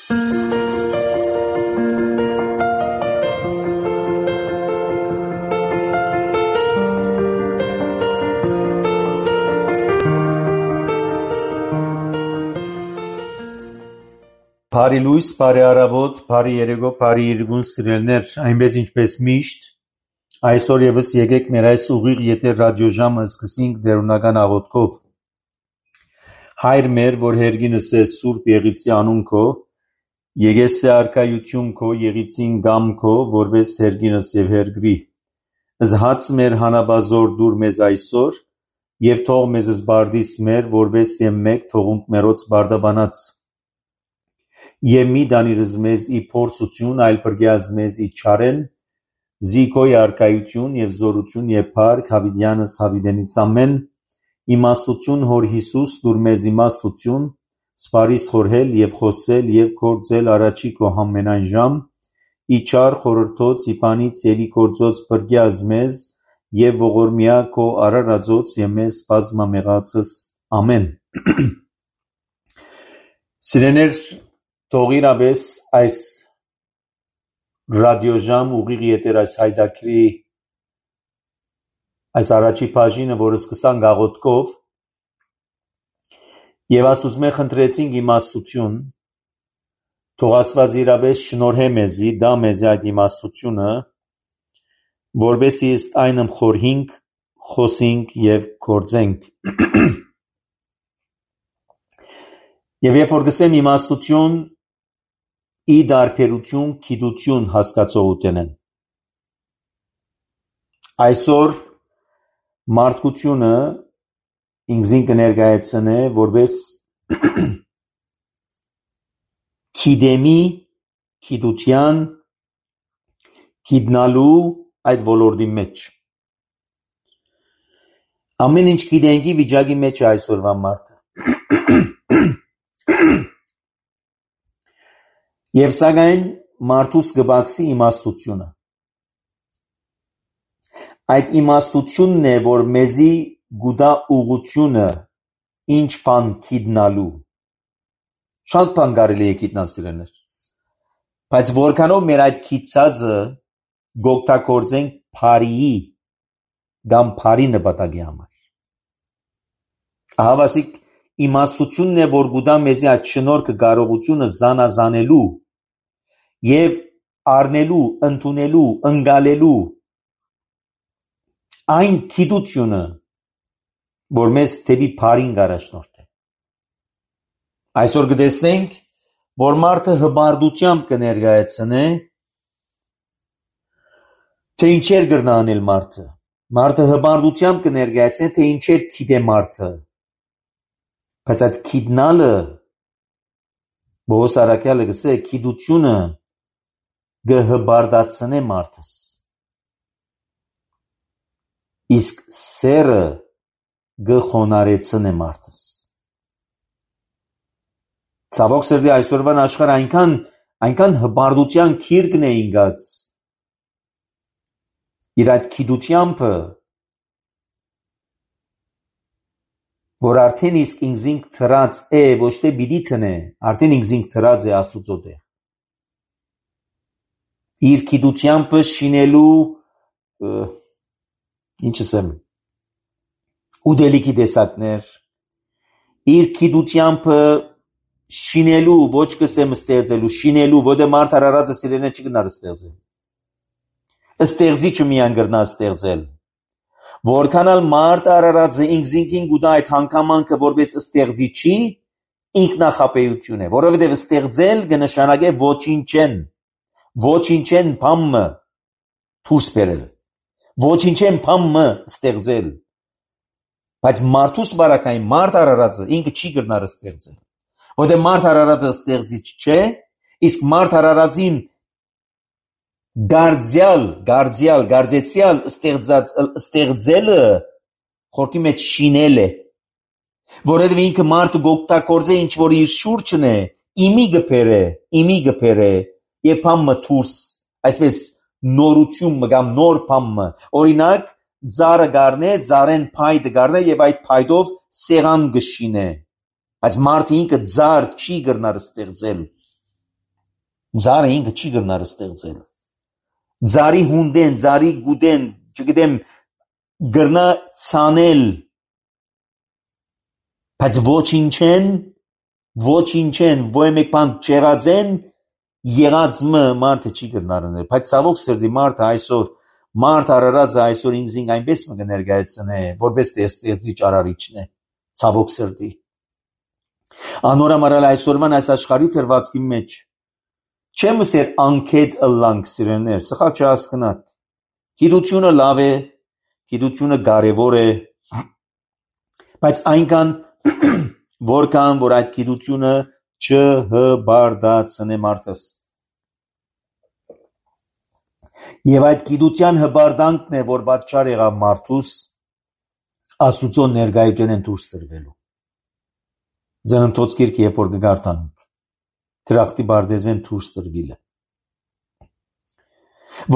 Բարի լույս, բարի առավոտ, բարի երեկո, բարի իրգուն սիրելներ, այնպես ինչպես միշտ, այսօր ևս եկեք մեր այս ուղիղ եթեր ռադիոժամը սկսենք դերունական աղոթքով։ Հայր մեր, որ հերգինս է Սուրբ Եղիցի անուն քո, եկես է արքայություն քո, եղիցին գամ քո, որպես հերգինս եւ հերգրի։ Զհաց մեր հանաբազոր դուր մեզ այսօր, եւ թող մեզ զբարդիս մեր, որպես եմ մեկ թողունք մերոց բարդաբանած։ Եվ մի դանիրыз մեզ ի փորձություն, այլ բրգյազ մեզ ի չարեն, զիքոյ արքայություն եւ զորություն եւ փառք հավիդյանս հավիդենից ամեն, իմաստություն հոր Հիսուս դուր մեզ իմաստություն, սպարիս խորհել եւ խոսել եւ գործել առաջի քո համենայն ժամ, ի չար խորհրդոց ի բանից եւ ի գործոց բրգյազ մեզ եւ ողորմյա քո արարածոց եւ մեզ բազմամեղածս ամեն։ Սիրեներ Թող իրապես այս ռադիոժամ ուղիղ եթեր այս հայդակրի այս առաջի բաժինը, որը սկսանք աղոթքով, եւ Աստծո խնդրեցինք իմաստություն, թող Աստված իրապես շնորհե մեզի, դա մեզի այդ իմաստությունը, որպեսզի ըստ այնմ խորհենք, խոսենք եւ գործենք։ Եվ երբ որ գսեմ իմաստություն, ի դարբերություն գիտություն հասկացողություն են։ Այսօր մարդկությունը ինքզին կներկայացնե որպես գիտեմի, գիտության, գիտնալու այդ ոլորտի մեջ։ Ամեն ինչ գիտենքի վիճակի մեջ է այսօրվա մարդը։ Եվ սակայն մարդուս կբացի իմաստությունը։ Այդ իմաստությունն է, որ մեզի գուտա ուղությունը ինչ բան գիտնալու։ Շատ բան կարելի է գիտնալ սիրելներ։ Բայց որքանով մեր այդ գիտածը գօգտագործենք բարիի կամ բարի նպատակի համար։ Ահավասիկ իմաստությունն է, որ գուտա մեզի այդ շնորհքը կարողությունը զանազանելու եւ առնելու, ընդունելու, ընկալելու այն գիտությունը, որ մեզ դեպի բարին կառաջնորդի։ Այսօր կտեսնենք, որ մարդը հբարդությամբ կներկայացնե, թե ինչեր կրնա անել մարդը։ Մարդը հբարդությամբ կներկայացնե, թե ինչեր գիտե մարդը։ Բայց այդ գիտնալը Բոհոս Արաքյալը գսե գիտությունը կհբարդացնե մարդս։ Իսկ սերը կխոնարեցնե մարդս։ Ցավոք սրտի այսօրվան աշխարհը այնքան հբարդության քիրկն է ինգած։ Իր այդ գիտությամբ, որ արդեն իսկ ինքզինք թրած է, ոչ թե պիտի տնե, արդեն ինքզինք թրած է Աստուծո տեղ։ Իր գիտությամբ շինելու ինչ ասեմ, ուդելիքի տեսակներ, իր գիտությամբ շինելու, ոչ կսեմ ստեղծելու, շինելու, որտեղ մարդ արարածը սիրելն չի գնար ստեղծել։ Ստեղծիչը միան գրնա ստեղծել։ Որքանալ մարդ արարածը ինքզինքին գուտա այդ հանգամանքը որպես ստեղծիչի ինքնախապեյություն է, որովհետև ստեղծել կնշանակե ոչինչեն բամը դուրս բերել, ոչինչեն բամը ստեղծել, բայց մարդուս բարակային մարդ արարածը ինքը չի գրնար ստեղծել, որտեղ մարդ արարածը ստեղծիչ չէ, իսկ մարդ արարածին գարձեցյալ ստեղծելը խորքի մեջ շինել է, որովհետև ինքը մարդը գօգտագործե ինչ որ իր շուրջն է, իմի գբերը եւ բամը դուրս, այսպես նորություն կամ նոր բամը, օրինակ ծառը գառնե, ծառեն փայտը գառնե եւ այդ փայտով սեղան գշինե, բայց մարդը ինքը ծառ չի գրնար ստեղծել, Ձարը ինքը չի գնար ստեղծել։ Ձարի հունդեն, ձարի գուդեն, չգիտեմ, գրնա ցանել, բայց ոչինչ են, ոյ մեկ բան չեղածեն, եղած մարդը չի գնար անել։ Բայց ցավոք սրտի մարդ արարածը այսօր ինքզին այնպես մը կներկայացնե, որպես թե ստեղծիչ արարիչն է, ցավոք սրտի։ Անորամարալ այսօրվան այս աշխարհի թրվածքի մեջ չեմ ասել անկետ ըլլանք սիրելներ, սխալ չհասկնաք։ Գիտությունը լավ է, գիտությունը կարևոր է, բայց այնքան որքան որ այդ գիտությունը չհբարդացնե մարդս։ Եվ այդ գիտության հբարդանքն է, որ պատճառ եղավ մարդուս Աստուծո ներկայությունեն դուրս տրվելու։ Ծննդոց գիրքը երբ որ կգարտանք, դրախտի բարդեզեն դուրս տրվիլը։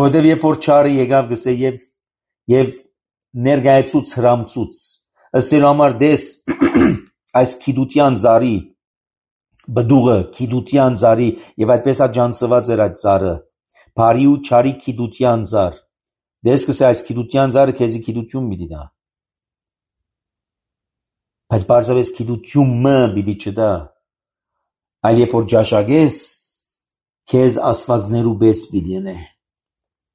Որտև երբ որ չարը եկավ գսե եւ ներկայացուց հրամցուց, ըսելու համար դես այս գիտության ծառի բդուղը, գիտության ծառի եւ այդպես աջանցված էր այդ ծառը, բարի ու չարի գիտության ծառ։ Դես գսե այս գիտության ծառը քեզի գիտություն պիտի տա։ Բայց բարձրապես գիտությունը պիտի չտա, այլ երբ որ ճաշակես, քեզ աստվածներու պես պիտի ենե։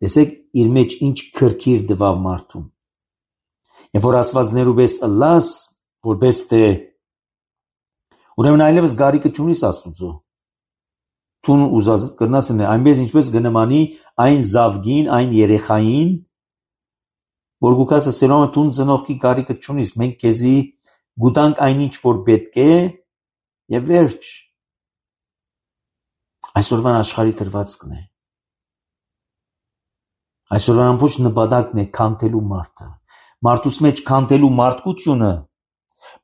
Տեսեք իր մեջ ինչ քրքիր դվավ մարդուն։ Երբ որ աստվածներու պես ըլլաս, որպես թե ուրեմն այլևս գարիկը չունիս Աստուծո։ Տուն ուզածդ կրնաս ընե, այնպես ինչպես գնմանի այն զավգին, այն երեխային, որ գուկաս ասելով տուն ծնողքի գարիկը չունիս, մենք քեզի գուտանք այնինչ որ պետք է եւ վերջ։ Այսօրվան աշխարհի դրվածքն է։ Այսօրվան ամբողջ նպատակն է քանթելու մարդը։ Մարդուց մեջ քանթելու մարդկությունը,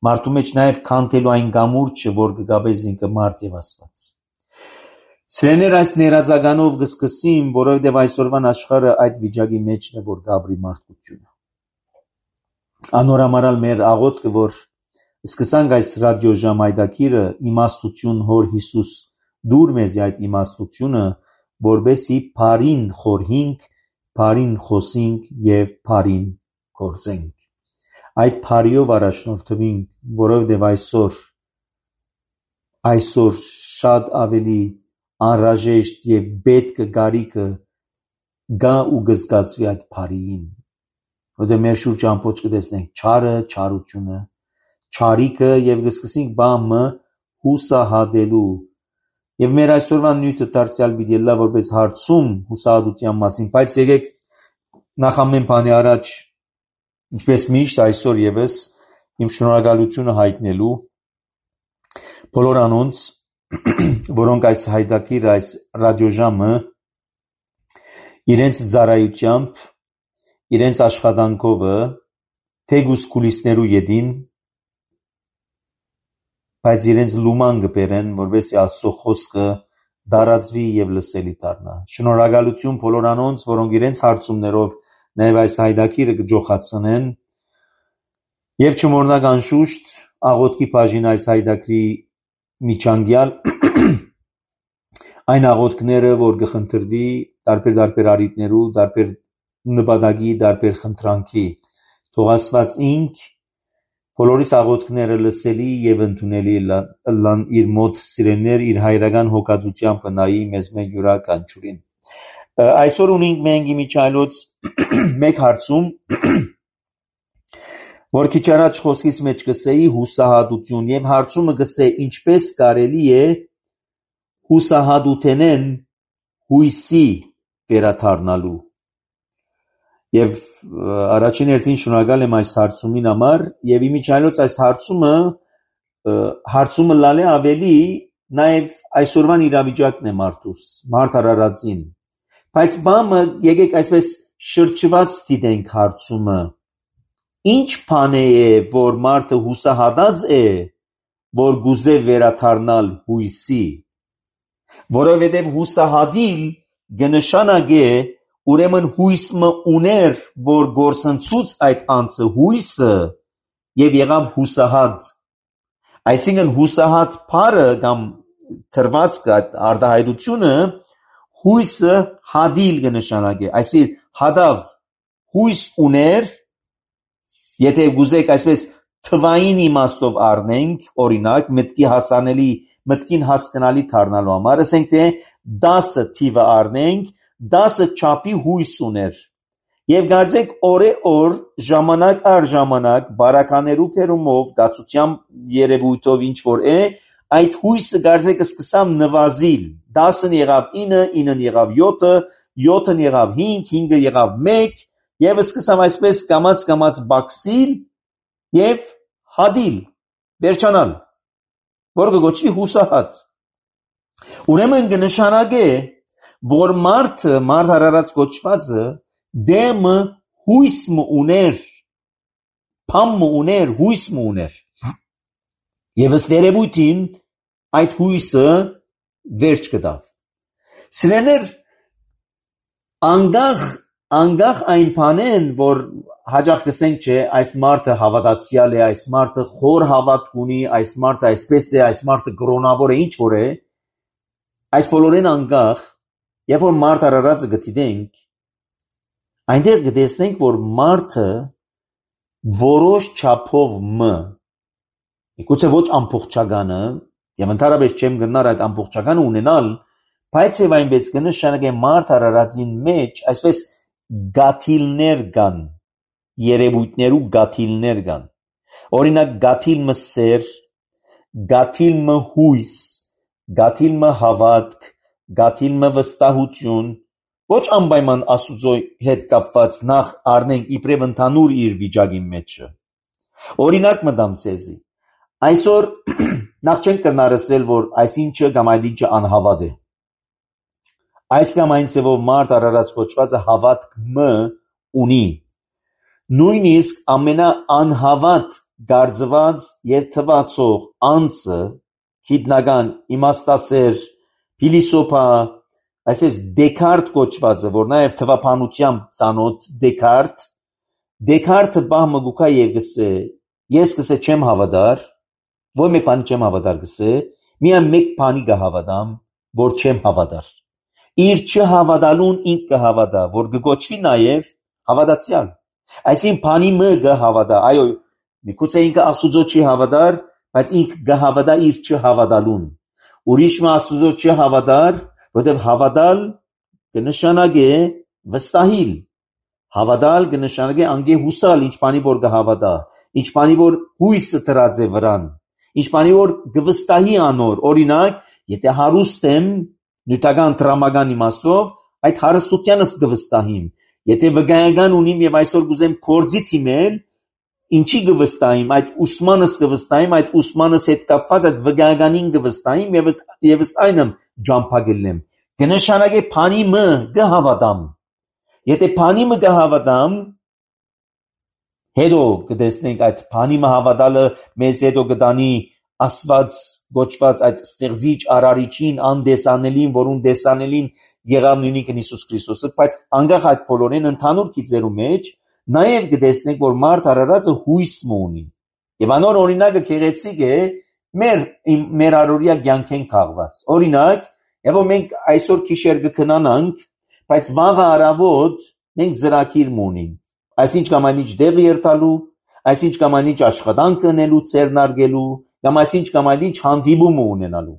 մարդու մեջ նաև քանթելու այն գամուրջը, որ կգաբես ինքը մարդ եւ Աստված։ Սրեներ այս ներածականով կսկսեմ, որովհետեւ այսօրվան աշխարհը այդ վիճակի մեջն է, որ գաբրի մարդկությունը։ Անորամարալ մեր աղոթքը, որ սկսանք այս ռադիոժամ այդակիրը իմաստություն հոր Հիսուս դուր մեզի այդ իմաստությունը, որբեսի բարին խորհինք, բարին խոսինք եւ բարին գործենք։ Այդ բարիով առաջնորդվենք, որովհետեւ այսօր շատ ավելի անհրաժեշտ եւ պետք գարիկը գա ու գզգացվի այդ բարիին։ Որտեղ մեր շուրջ ամբողջ կտեսնենք չարը, չարությունը, չարիքը եւ կսկսենք բամը հուսահատելու։ Եվ մեր այսօրվան նյութը դարձյալ պիտի լա որպես հարցում հուսահատության մասին, բայց եկեք նախ ամեն բանի առաջ, ինչպես միշտ այսօր եւս իմ շնորհակալությունը հայտնելու բոլոր անոնց, որոնք այս հայտակիրը, այս ռադիոժամը իրենց ծառայությամբ, իրենց աշխատանքով թեգուս կուլիսներու յետին, բայց իրենց լուման կբերեն, որովհետեւ Աստծո խոսքը դարածվի եւ լսելի դառնա։ Շնորհակալություն բոլոր անոնց, որոնք իրենց հարցումներով նաեւ այս հայտակիրը կջոխացնեն եւ չմոռնաք անշուշտ աղոթքի բաժին այս հայտակրի միջանկյալ այն աղոթքները, որ կխնդրվի տարբեր առիթներու, տարբեր նպատակի, տարբեր խնդրանքի, թող Աստված ինք բոլորիս աղոթքները լսելի եւ ընդունելի լան իր մոտ սիրելներ իր հայրական հոգածությամբ նայի մեզ մեկ յուրաքանչյուրին։ Այսօր ունենք մենք իմիջայլոց մեկ հարցում, որ քիչ առաջ խոսքիս մեջ կսեի հուսահատություն եւ հարցումը կսե ինչպես կարելի է հուսահատութենեն հույսի վերադառնալու։ Եվ առաջին հերթին շնորհակալ եմ այս հարցումին համար եւ իմիջայլոց այս հարցումը լալե ավելի նաեւ այսօրվան իրավիճակն է մարդուս, մարդ արարածին։ Բայց բամը եկեք այսպես շրջված դիտենք հարցումը։ Ինչ բան է, որ մարդը հուսահատած է, որ գուզե վերադառնալ հույսի, որովհետեւ հուսահատիլ կնշանակե ուրեմն հույսը ուներ, որ գործընծուց այդ անձը հույսը եւ եղավ հուսահատ։ Այսինքն հուսահատ բառը կամ թրվածքը արտահայտությունը հույսը հադիլ կնշանակի, այսինքն հադավ հույս ուներ, եթե գուզեք այսպես թվային իմաստով առնենք, օրինակ մտքին հասկանալի դառնալու համար, ասենք թե 10 թիվը առնենք, 10 չափի հույս ուներ, եւ գարձեք օր ժամանակ առ ժամանակ բարականերու փերումով դացությամբ երևույթով ինչ որ է, այդ հույսը գարձեք սկսամ նվազիլ, 10-ն եղավ 9, 9-ն եղավ 7, 7-ն եղավ 5, 5-ը եղավ 1, եւ սկսամ այսպես կամած բաքսիլ եւ հադիլ, վերջանալ, որ կգոչվի հուսահատ։ Ուրեմն կնշանակե, որ մարդ հարարած կոչվածը դեմը հույս ուներ, փամ ուներ, հույս ուներ, եւ ըստ երևույթին այդ հույսը վերջ կտավ։ Սիրելիներ, անգախ այն բանեն, որ հաջող կսենք չէ, այս մարդը հավատացյալ է, այս մարդը խոր հավատք ունի, այս մարդը այսպես է, այս մարդը կրոնավոր է, ինչ որ է, այս բոլորին անգախ, երբ որ մարդ արարածը գտիտենք, այնտեղ կտեսնենք, որ մարդը որոշ չափով միգուցե ոչ ամբողջականը, եւ ընդհանրապես չեմ գնար այդ ամբողջականը ունենալ, բայց եւ այնպես կնշանակե մարդ արարածին մեջ այսպես գաթիլներ կան, երևույթներու գաթիլներ կան, օրինակ գաթիլը սեր, գաթիլը հույս, գաթիլը հավատք, գաթիլը վստահություն, ոչ անպայման Աստուծո հետ կապված նախ առնենք իբրև ընդհանուր իր վիճակի մեջը։ Օրինակ մտամ ցեզի, այսօր նախ չենք կնարսել, որ այսինչը կամ այդ ինչը անհավատ է, այս կամ այն ծևով մարդ արարած կոչվածը հավատք ունի, նույնիսկ ամենաանհավատ գարձված եւ թվացող անձը, գիտնական, իմաստասեր, փիլիսոփա, այսպես Դեկարտ կոչվածը, որ նաեւ թվափանությամբ ծանոթ Դեկարտը բահմը գուքա եւ գսե, ես գսե չեմ հավատար, ոչ մեկ բանի չեմ հավատար գսե, միայն մեկ բանի կհավատամ, որ չեմ հավատար։ Իր չհավատալուն ինք կհավատա, որ կգոչվի նաեւ հավատացյալ։ Այսինքն բանի մը կհավատա, այո, միգուցե ինքը Աստուծո չի հավատար, բայց ինք կհավատա իր չհավատալուն։ Ուրիշ մը Աստուծո չհավատար, որտեղ հավատալ կնշանակե վստահիլ, հավատալ կնշանակե անգե հուսալ, ինչ բանի որ կհավատա, ինչ բանի որ հույսը դրած է վրան, ինչ բանի որ կվստահի անոր, օրինակ, եթե հարուստ եմ, նյութական տրամական իմաստով, այդ հարստությանս կվստահիմ, եթե վկայական ունիմ եւ այսօր կուզեմ կորձի թիմել, ինչի կվստահիմ, այդ ուսմանս կվստահիմ, այդ ուսմանս հետ կապված այդ վկայականին կվստահիմ եւ ըստ այնմ ջամփագելեմ, կնշանակե բանի մը կհավատամ, եթե բանի մը կհավատամ, հետո կտեսնենք այդ բանի մը հավատալը մեզ հետո կտանի Աստված գոչված այդ ստեղծիչ արարիչին, անդեսանելին, որուն դեսանելին եղավ նույնիկ Հիսուս Քրիստոսը, բայց անգախ այդ բոլորին ընդհանուր գիծերու մեջ նաև կտեսնենք, որ մարդ արարածը հույս ունի։ Եվ անոր օրինակը քեղեցիկ է մեր առօրյա կյանքեն քաղված։ Օրինակ, եւ մենք այսօր քիշեր կքնանանք, բայց վաղը առավոտ մենք ծրագիր ունենք։ Այսինչ կամ այնիչ դեղ երթալու, այսինչ կամ այնիչ աշխատանք ունելու, ծերնարգելու, կամ այսինչ կամ այնիչ հանդիպում ունենալու։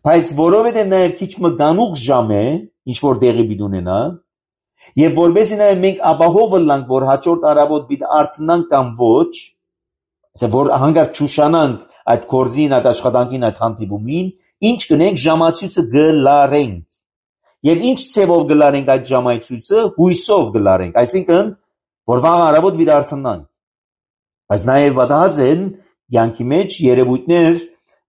Բայց որովհետև նաև քիչ մը գանուղ ժամ է, ինչ որ դեղի պիտի ունենա, եւ որովհետև նաև մենք ապահովը լանք, որ հաջորդ առավոտ պիտի արթնանք կամ ոչ, որ հանգար չուշանանք այդ կորձին, այդ աշխատանքին, այդ հանդիպումին, ինչ կնենք ժամացույցը գլարենք։ Եվ ինչ ցևով գլարենք այդ ժամացույցը, հույսով գլարենք, այսինքն որ վաղ առավոտ պիտի արթնանք։ Բայց նաև պատահած են յանքի մեջ երևույթներ,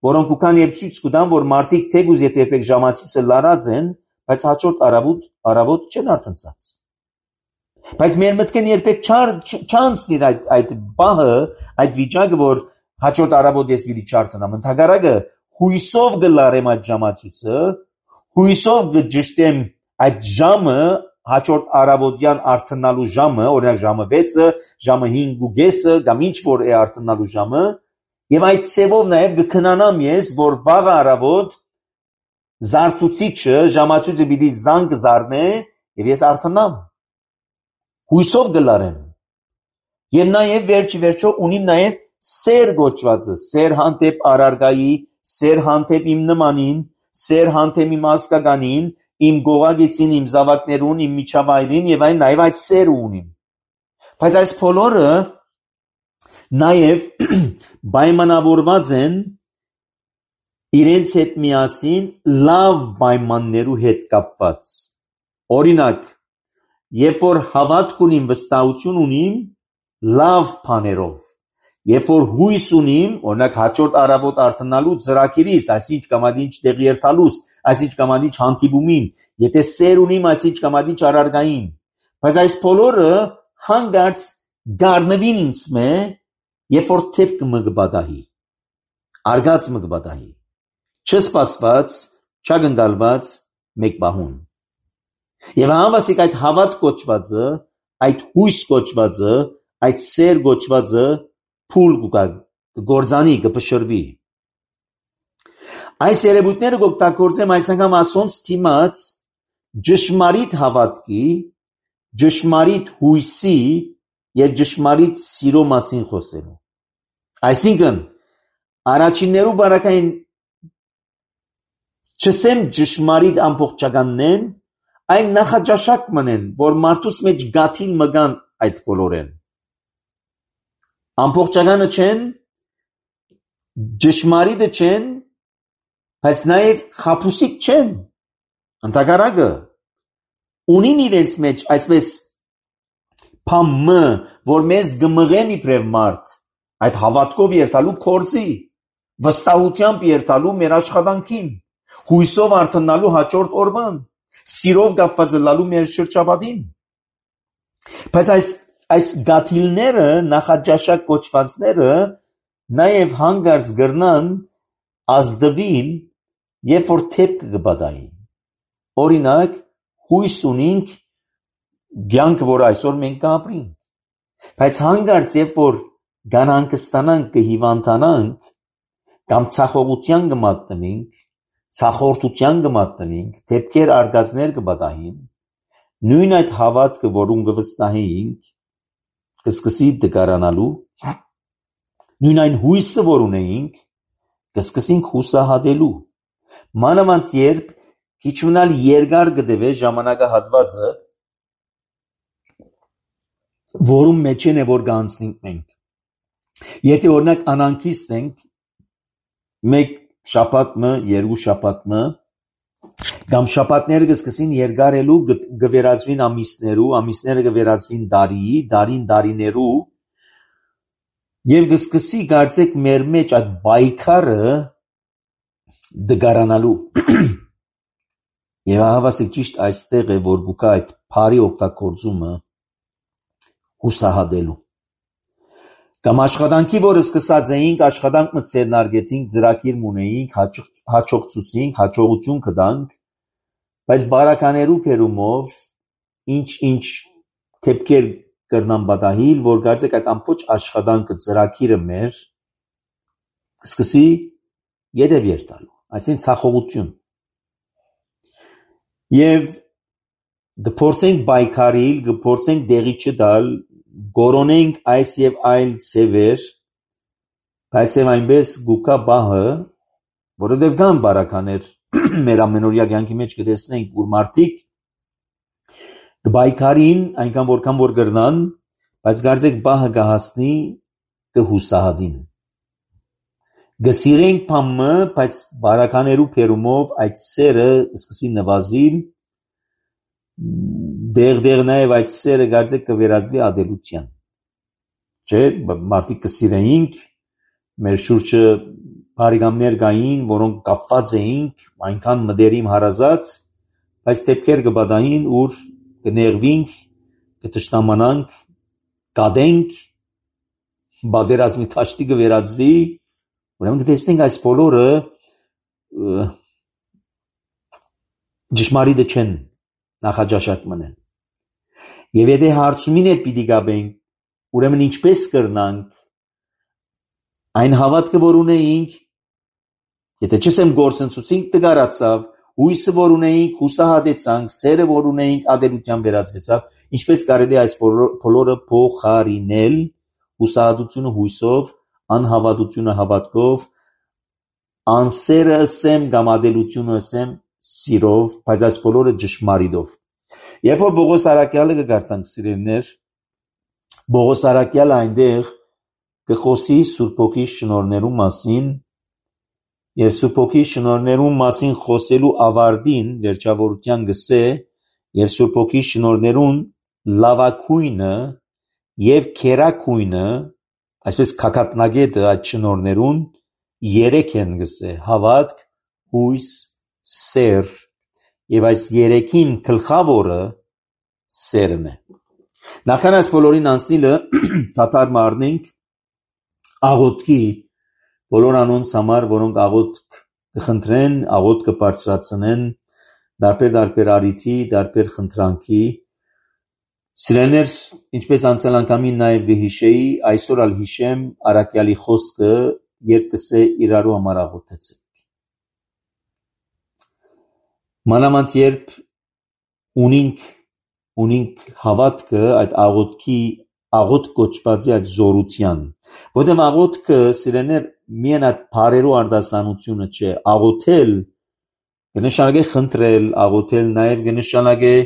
որոնք ուքան եւ ցույց կտան, որ մարդիկ թեգուզ երբեք ժամացույցը լարած են, բայց հաջորդ առավոտ չեն արթնցած։ Բայց մեր մտքեն երբեք չանցնի այդ բահը, այդ վիճակը, որ հաջորդ առավոտ ես պիտի չարթնամ, ընդհակառակը հույսով գլարեմ այդ ժամացույցը, հույսով կջշտեմ այդ ժամը, հաջորդ առավոտյան արթնալու ժամը, օրինակ ժամը 6-ը, ժամը 5:30, կամ ինչ որ է արթնալու ժամը, եւ այդ ցևով նաեւ կքնանամ ես, որ վաղ առավոտ Զարծուցիչը ժամացույցը պիտի զանգ զարնե եւ ես արթնամ։ Հույսով գլարեմ։ Եվ նաեւ վերջո ունիմ նաեւ սեր գոչվածը, սեր հանդեպ արարգայի, սեր հանդեպ իմ նմանին, սեր հանդեպ իմ ազգականին, իմ գողագիցին, իմ զավակներուն, իմ միջավայրին եւ այն նաեւ այդ սերը ունիմ։ Բայց այս բոլորը նաեւ պայմանավորված են իրենց հետ միասին լավ պայմաններու հետ կապված։ Օրինակ, երբ որ հավատք ունիմ, վստահություն ունիմ լավ բաներով, երբ որ հույս ունիմ, օրինակ հաջորդ առավոտ արթնալու ծրագիրիս, այսինչ կամադինչ տեղի երթալուս, այսինչ կամադինչ հանդիպումին, եթե սեր ունիմ, այսինչ կամադինչ արարգային, բայց այս բոլորը հանգարց գարնվին ինձ մե, երբ որ թեփք մը կբադահի, արգած մը կբադահի, չսպասված, չագնդալված մեկ բահուն։ Եվ անվասիկ այդ հավատ կոչվածը, այդ հույս կոչվածը, այդ սեր կոչվածը փուլ կգործանի, կփշրվի։ Այս երևույթները կօգտագործեմ այս անգամ ասոնց թիմած ճշմարիտ հավատքի, ճշմարիտ հույսի եւ ճշմարիտ սիրո մասին խոսելու։ Այսինքն առաջիններու բարակային չսեմ ճշմարիտ ամբողջականն, այն նախաճաշակ մնեն, որ մարդուս մեջ գաթիլ մգան այդ բոլորեն։ Ամբողջականը չեն, ճշմարիտը չեն, բայց նաև խաբուսիկ չեն, ընդհակառակը, ունին իրենց մեջ այսպես փամը, որ մեզ գմղեն իբրև մարդ, այդ հավատքով երթալու կորձի, վստահությամբ երթալու մեր աշխատանքին, հույսով արթնալու հաջորդ օրվան, սիրով կապված լալու մեր շրջապատին։ Բայց այս գաթիլները, նախաճաշակ կոչվածները նաև հանգարց գրնան ազդվիլ, երբ որ թեփք կբադայի։ Օրինակ, հույս ունենք կյանք, որ այսօր մենք կապրենք, բայց հանգարց երբ որ գանհանգստանանք, կհիվանդանանք, կամ ցախողության կմատնենք, ցախորդության կմատնենք, թեփքեր արգածներ կբադահին, նույն այդ հավատքը, որուն կվստահեինք, կսկսի դգարանալու, նույն այն հույսը, որ ունեինք, կսկսենք հուսահատելու։ Մանավանդ երբ քիչ մնալ երկար կդեվե ժամանակահատվածը, որում մեջ է որ կանցնենք մենք։ Եթե օրինակ անանքիստ ենք, մեկ շաբաթը, երկու շաբաթը, կամ շաբաթները կսկսին երկարելու, կվերածվին ամիսներու, ամիսները կվերածվին տարի, տարին տարիներու, եւ կսկսի կարծեք մեր մեջ այդ բայկարը դգարանալու։ Եվ հավասիկ ճիշտ այստեղ է, որ գուկա այդ բարի օգտագործումը հուսահատելու։ Կամ աշխատանքի, որը սկսած էինք, աշխատանք մտցերնարգեցինք, ծրագիր ունեինք, հաջողցուցինք, հաջողություն կտանք, բայց բարականերու փերումով ինչ թեփքեր կրնան բադահիլ, որ կարծեք այդ ամբողջ աշխատանքը ծրագիրը մեր սկսի յետև երթալու, այսինքն ցախողություն։ Եվ կփորձենք բայկարիլ, կփորձենք դեղի չտալ, գորոնենք այս եւ այլ ծևեր, բայց եւ այնպես գուկա բահը, որովհետեւ կան բարականեր մեր ամենօրյա կյանքի մեջ կտեսնենք, որ մարդիկ կբայկարին այնքան որքան որ կրնան, բայց կարծեք բահը կհասնի կհուսահատին։ Կսիրենք փամը, բայց բարականերու փերումով այդ սերը սկսի նվազիլ, դեղ նաև այդ սերը կարծեք կվերածվի ադելության։ Չէ, մարդիկ կսիրեինք, մեր շուրջը բարեկամներ կային, որոնք կապված էինք, այնքան մտերիմ հարազատ, բայց դեպքեր կբադային, ուր կներվինք, կտշնամանանք, կադենք, բادرազմի թաշտի կվերածվի, ուրեմն կտեսնենք այս բոլորը ճշմարիտը չեն, նախաճաշակ մնեն։ Եվ եթե հարցումին հետ պիտի գաբենք, ուրեմն ինչպես կրնանք այն հավատքը, որ ունեինք, եթե չսեմ գործընծուցինք տգարացավ, հույսը որ ունեինք հուսահատեցանք, սերը որ ունեինք ադելության վերածվեցավ, ինչպես կարելի է այս բոլորը փոխարինել, հուսահատությունը հույսով, անհավատությունը հավատքով, անսերը ասեմ կամ ադելությունը ասեմ սիրով, բայց այս բոլորը ճշմարիտով։ Երբ որ Պողոս առաքյալը կգարտանք սիրելիներ, Պողոս առաքյալը այնտեղ կխոսի Սուրբ Հոգի շնորհներու մասին, եւ Սուրբ Հոգի շնորհներու մասին խոսելու ավարտին վերջավորության գսե, եւ Սուրբ Հոգի շնորհներուն լավակույնը եւ քերակույնը, այսպես քակատնագետը այդ շնորհներուն երեք են գսե, հավատք, հույս, սեր, եւ այս երեքին գլխավորը սերն է։ Նախքան այս բոլորին անցնելը դադար մարնենք աղոթքի բոլոր անոնց համար, որոնք աղոթք կխնդրեն, աղոթք կբարձրացնեն, դարբեր առիթի, դարբեր խնդրանքի։ Սիրելիներ, ինչպես անցյալ անգամին նաև կհիշեի, այսօր ալ հիշեմ առաքյալի խոսքը, երբ կսե իրարու համար աղոթեցեք։ Մանավանդ երբ ունինք հավատքը այդ աղոթք կոչվածի այդ զորության, որտեղ աղոթքը սիրելիներ միայն այդ բարերու արտասանությունը չէ, աղոթել կնշանակե խնդրել, աղոթել նաև կնշանակե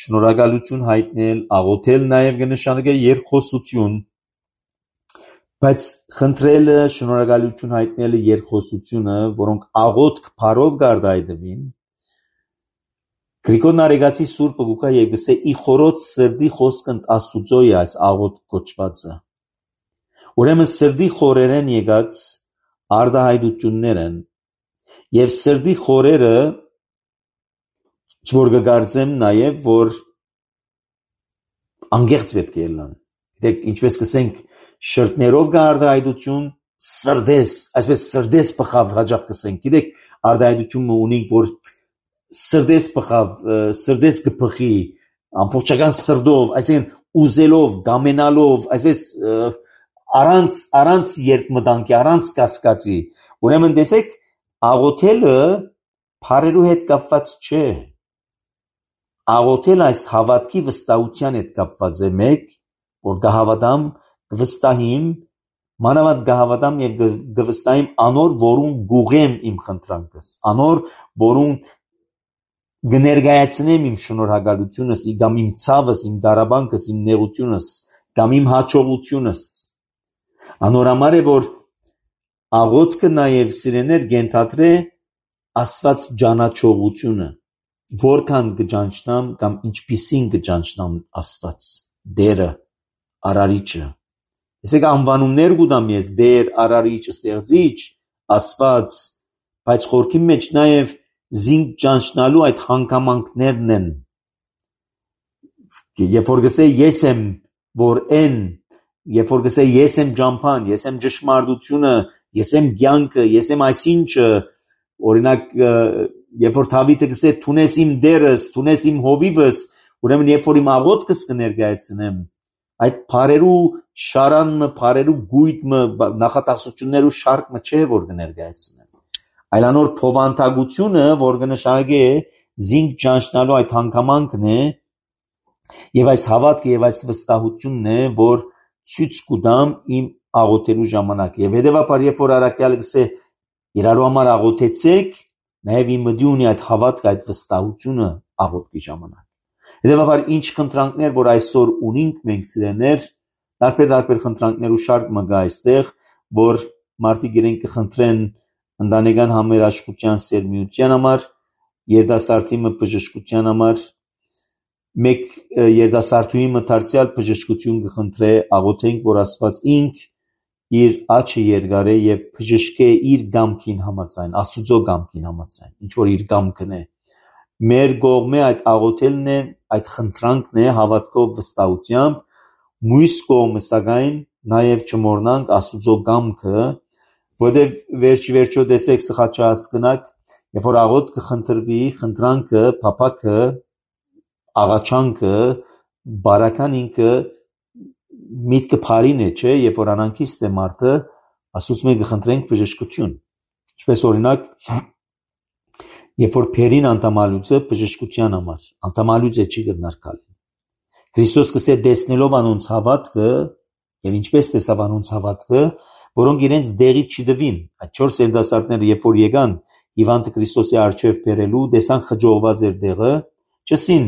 շնորհակալություն հայտնել, աղոթել նաև կնշանակե երկխոսություն, բայց խնդրելը, շնորհակալություն հայտնելը, երկխոսությունը, որոնք աղոթք բարով գարտայդվին, Գրիգոր Նարեգացի Սուրբը գուկա եւ գսե ի խորոց սրդի խոսքն Աստուծո է այս աղոթք կոչվածը։ Ուրեմն սրդի խորերեն եկած արտահայտություններ են եւ սրդի խորերը որ կգարձեմ նաեւ որ անգեղծ պետք է լան։ Գիտեք ինչպես կսենք շրտներով կա արտահայտություն սրդես, այսպես սրդես բխավ հաջող կսենք։ Գիտեք արտահայտությունը ունենք որ սրդես բխավ, սրդես կփխի, ամբողջական սրդով, այսինքն ուզելով, գամենալով, այսպես առանց երկմտանքի, առանց կասկածի։ Ուրեմն տեսեք, աղոթելը բարերու հետ կապված չէ։ Աղոթել այս հավատքի վստահության հետ կապված է մեկ, որ կհավատամ, կվստահիմ, մանավանդ կհավատամ եւ կվստահիմ անոր, որուն գուղեմ իմ խնդրանքս, անոր, որուն կներկայացնեմ իմ շնորհակալությունս, կամ իմ ցավս, իմ դարաբանքս, իմ նեղությունս, կամ իմ հաջողությունս։ Անորամար է որ աղոթքը նաև սիրեներ կենթադրե Աստված ճանաչողությունը, որքան կճանչնամ կամ ինչպիսին կճանչնամ Աստված, Դերը, Արարիչը։ Այսինքն անվանումներ կուտամ ես Դեր, Արարիչ, Ստեղծիչ, Աստված, բայց խորքի մեջ նաև զինք ճանչնալու այդ հանգամանքներն են։ Երբ որ գսե ես եմ, որ են, երբ որ գսե ես եմ ճամփան, ես եմ ճշմարտությունը, ես եմ կյանքը, ես եմ այսինչը, օրինակ երբ որ Դավիթը գսե «Թունես իմ դերս, թունես իմ հովիվս», ուրեմն երբ որ իմ աղոթքս կներկայացնեմ, այդ բարերու շարանը, բարերու գույտը, նախատասություններու շարքը չէ որ կներկայացնեմ, այլ անոր փոխանցագությունը, որ կնշանակե զինք ճանչնալու այդ հանգամանքն է, եւ այս հավատքը եւ այս վստահությունն է, որ ցույց կտամ իմ աղոթելու ժամանակ։ Եվ հետեւաբար երբ որ առաքյալը գսե իրարու համար աղոթեցեք, նաև իմ մտի ունի այդ հավատքը, այդ վստահությունը աղոթքի ժամանակ։ Հետևաբար ինչ խնդրանքներ որ այսօր ունենք մենք սիրեներ, տարբեր խնդրանքներ ու շարք մը գա այստեղ, որ մարդիկ իրենք կխնդրեն ընտանեկան համերաշխության սերմիության համար, երիտասարդի մը բժշկության համար, մեկ երիտասարդուի մը դարձյալ բժշկություն կխնդրե, աղոթենք որ Աստված ինք իր աչքը երկարե եւ բժշկե իր գամքին համաձայն, Աստուծո գամքին համաձայն, ինչ որ իր գամքն է։ Մեր կողմը այդ աղոթելն է, այդ խնդրանքն է հավատքով վստահությամբ, մյուս կողմը սակայն նաեւ չմոռնանք Աստուծո գամքը, որտեղ վերջիվերջո տեսեք սխալ չհասկնաք, երբ որ աղոթքը խնդրվի, խնդրանքը, փափակը, աղաչանքը, բարական ինքը միտքը բարին է, չէ, երբ որ անանքիստ է մարդը, Աստծուց մենք կխնդրենք բժշկություն։ Ինչպես օրինակ Երբ որ փերին անդամալուծը բժշկության համար, անդամալուծը չի գտնարկալ։ Քրիստոս կսե դեսնելով անոնց հավատքը եւ ինչպես տեսավ անոնց հավատքը, որոնք իրենց դեղից չդվին։ Այդ 4 երիտասարդները երբ որ եկան Հիվանդը Քրիստոսի առջև բերելու, տեսան խջողված էր դեղը, չսին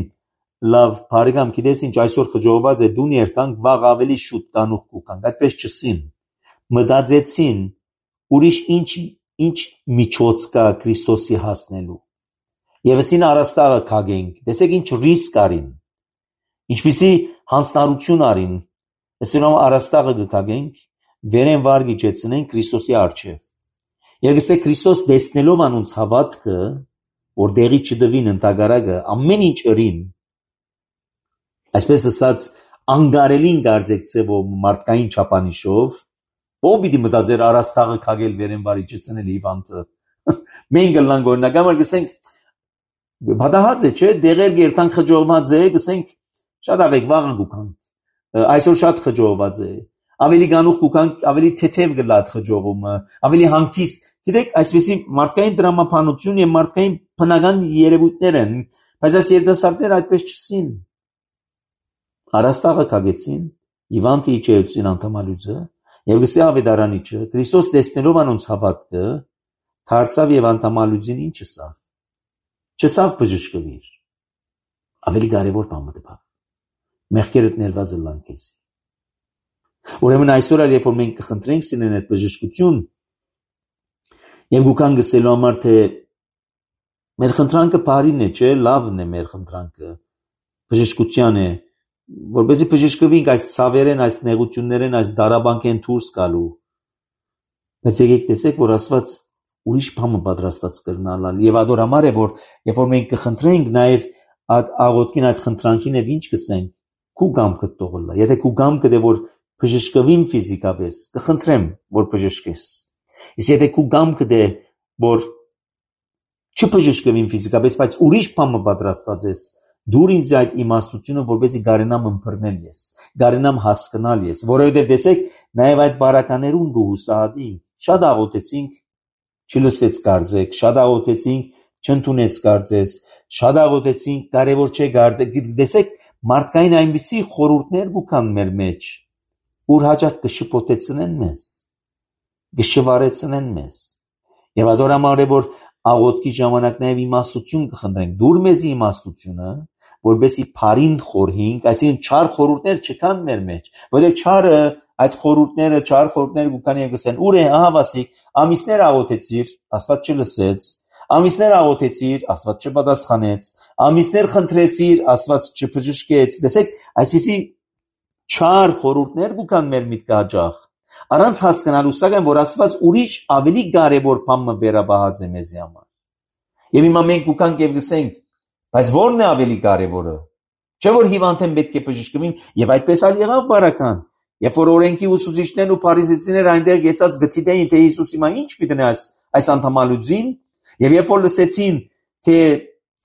լավ բարեկամ գիտես ինչ այսօր խջողված է դուն երթանք վաղ ավելի շուտ տանուխ կուկանք, այդպես չսին։ Մտածեցին ուրիշ ինչ միջոց կա Քրիստոսի հասնելու։ Եվ ասին առաստաղը քագենք, տեսեք ինչ ռիսկ արին, ինչպիսի հանձնարարություն արին, ասին առաստաղը կքագենք, վերեն վարգի ճեցնենք Քրիստոսի առջև։ Եվ գսե Քրիստոս դեսնելով անոնց հավատքը, որ դեղի չդվին ընդագարակը, ամեն ինչ ըրին, այսպես ասած անգարելին գարձեցե որ մարդկային չափանիշով, ով պիտի մտածեր առաստաղը քագել վերեն վարի ճեցնել Հիվանդը։ Մենք գլանք օրինակամար գսենք Բադահած է, չէ, դեղեր գերտան խջողված է, գսենք շատ աղեք վաղը գուկանք, այսօր շատ խջողված է, ավելի գանուխ գուկանք, ավելի թեթև գլատ խջողումը, ավելի հանգիստ, գիտեք, այսպեսի մարդկային դրամապանություն և մարդկային բնական երևույթներ են, բայց այս երիտասարդները այդպես չսին։ Առաստաղը քագեցին, Հիվանդը իջեցին անդամալուծը, և գսե ավետարանիչը, Քրիստոս տեսնելով անոնց հավատքը, դարձավ և անդամալուծին ինչ ասավ։ Չսավ բժշկվիր, ավելի կարևոր բան մտավ, մեղքերդ ներված ըլլան քեզի։ Ուրեմն այսօր երբ որ մենք կխնդրենք սինեն այդ բժշկություն, եւ գուքան գսելու համար թե մեր խնդրանքը բարին է, չէ, լավն է մեր խնդրանքը, բժշկության է, որպեսզի բժշկվենք այս ցավերեն, այս նեղություններեն, այս դարաբանկեն դուրս գալու։ Բայց եկեք տեսեք, որ Աստված ուրիշ բան պատրաստած կրնալալ եւ ադոր համար է որ երբ որ մենք կխնդրենք նաեւ աղոթքին այդ խնդրանքին եւ ինչ կսենք քու գամքը տողլա եթե քու գամքը դե որ բժշկվին ֆիզիկապես կխնդրեմ որ բժշկես իսկ եթե քու գամքը դե որ չբժշկվին ֆիզիկապես բայց ուրիշ բան պատրաստած ես դուր ինձ այդ իմաստությունը որպեսզի գարենամ ըմբռնել ես գարենամ հասկանալ ես որովհետեւ տեսեք նաեւ այդ բարականերուն գուհուսադին շատ աղոթեցինք չլսեց կարծեք, շատ աղոթեցինք, չընդունեց կարծես, շատ աղոթեցինք, կարևոր չէ կարծեք, տեսեք, մարդկային այնպիսի խորհուրդներ գուքան մեր մեջ, ուր հաճախ կշփոթեցնեն մեզ, կշվարեցնեն մեզ, եւ ադոր համար է որ աղոթքի ժամանակ նաեւ իմաստություն կխնդրենք, դուր մեզի իմաստությունը, որբեսի բարին խորհենք, այսինքն չար խորհուրդներ չկան մեր մեջ, որովհետեւ չարը այդ խորհուրդները, չար խորհուրդները գուքան եւ գսեն, ուր է, ահա վասիկ, ամիսներ աղոթեցիր, Աստված չլսեց, ամիսներ աղոթեցիր, Աստված չպատասխանեց, ամիսներ խնդրեցիր, Աստված չբժշկեց, տեսեք, այսպիսի չար խորհուրդներ գուքան մեր միտքը հաճախ, առանց հասկանալու սակայն, որ Աստված ուրիշ ավելի կարևոր բան վերաբահած է մեզի համար։ Եվ հիմա մենք գուքանք եւ գսենք, բայց ո՞րն է ավելի կարևորը։ Չէ՞ որ հիվանդեն պետք է բժշկվին եւ այդպես ալ եղավ բարական։ Երբ որ օրենքի ուսուցիչներն ու փարիսեցիները այնտեղ եկած գտիդեին թե Հիսուսի մա ինչ պիտի այս անդամալուծին եւ երբ որ լսեցին թե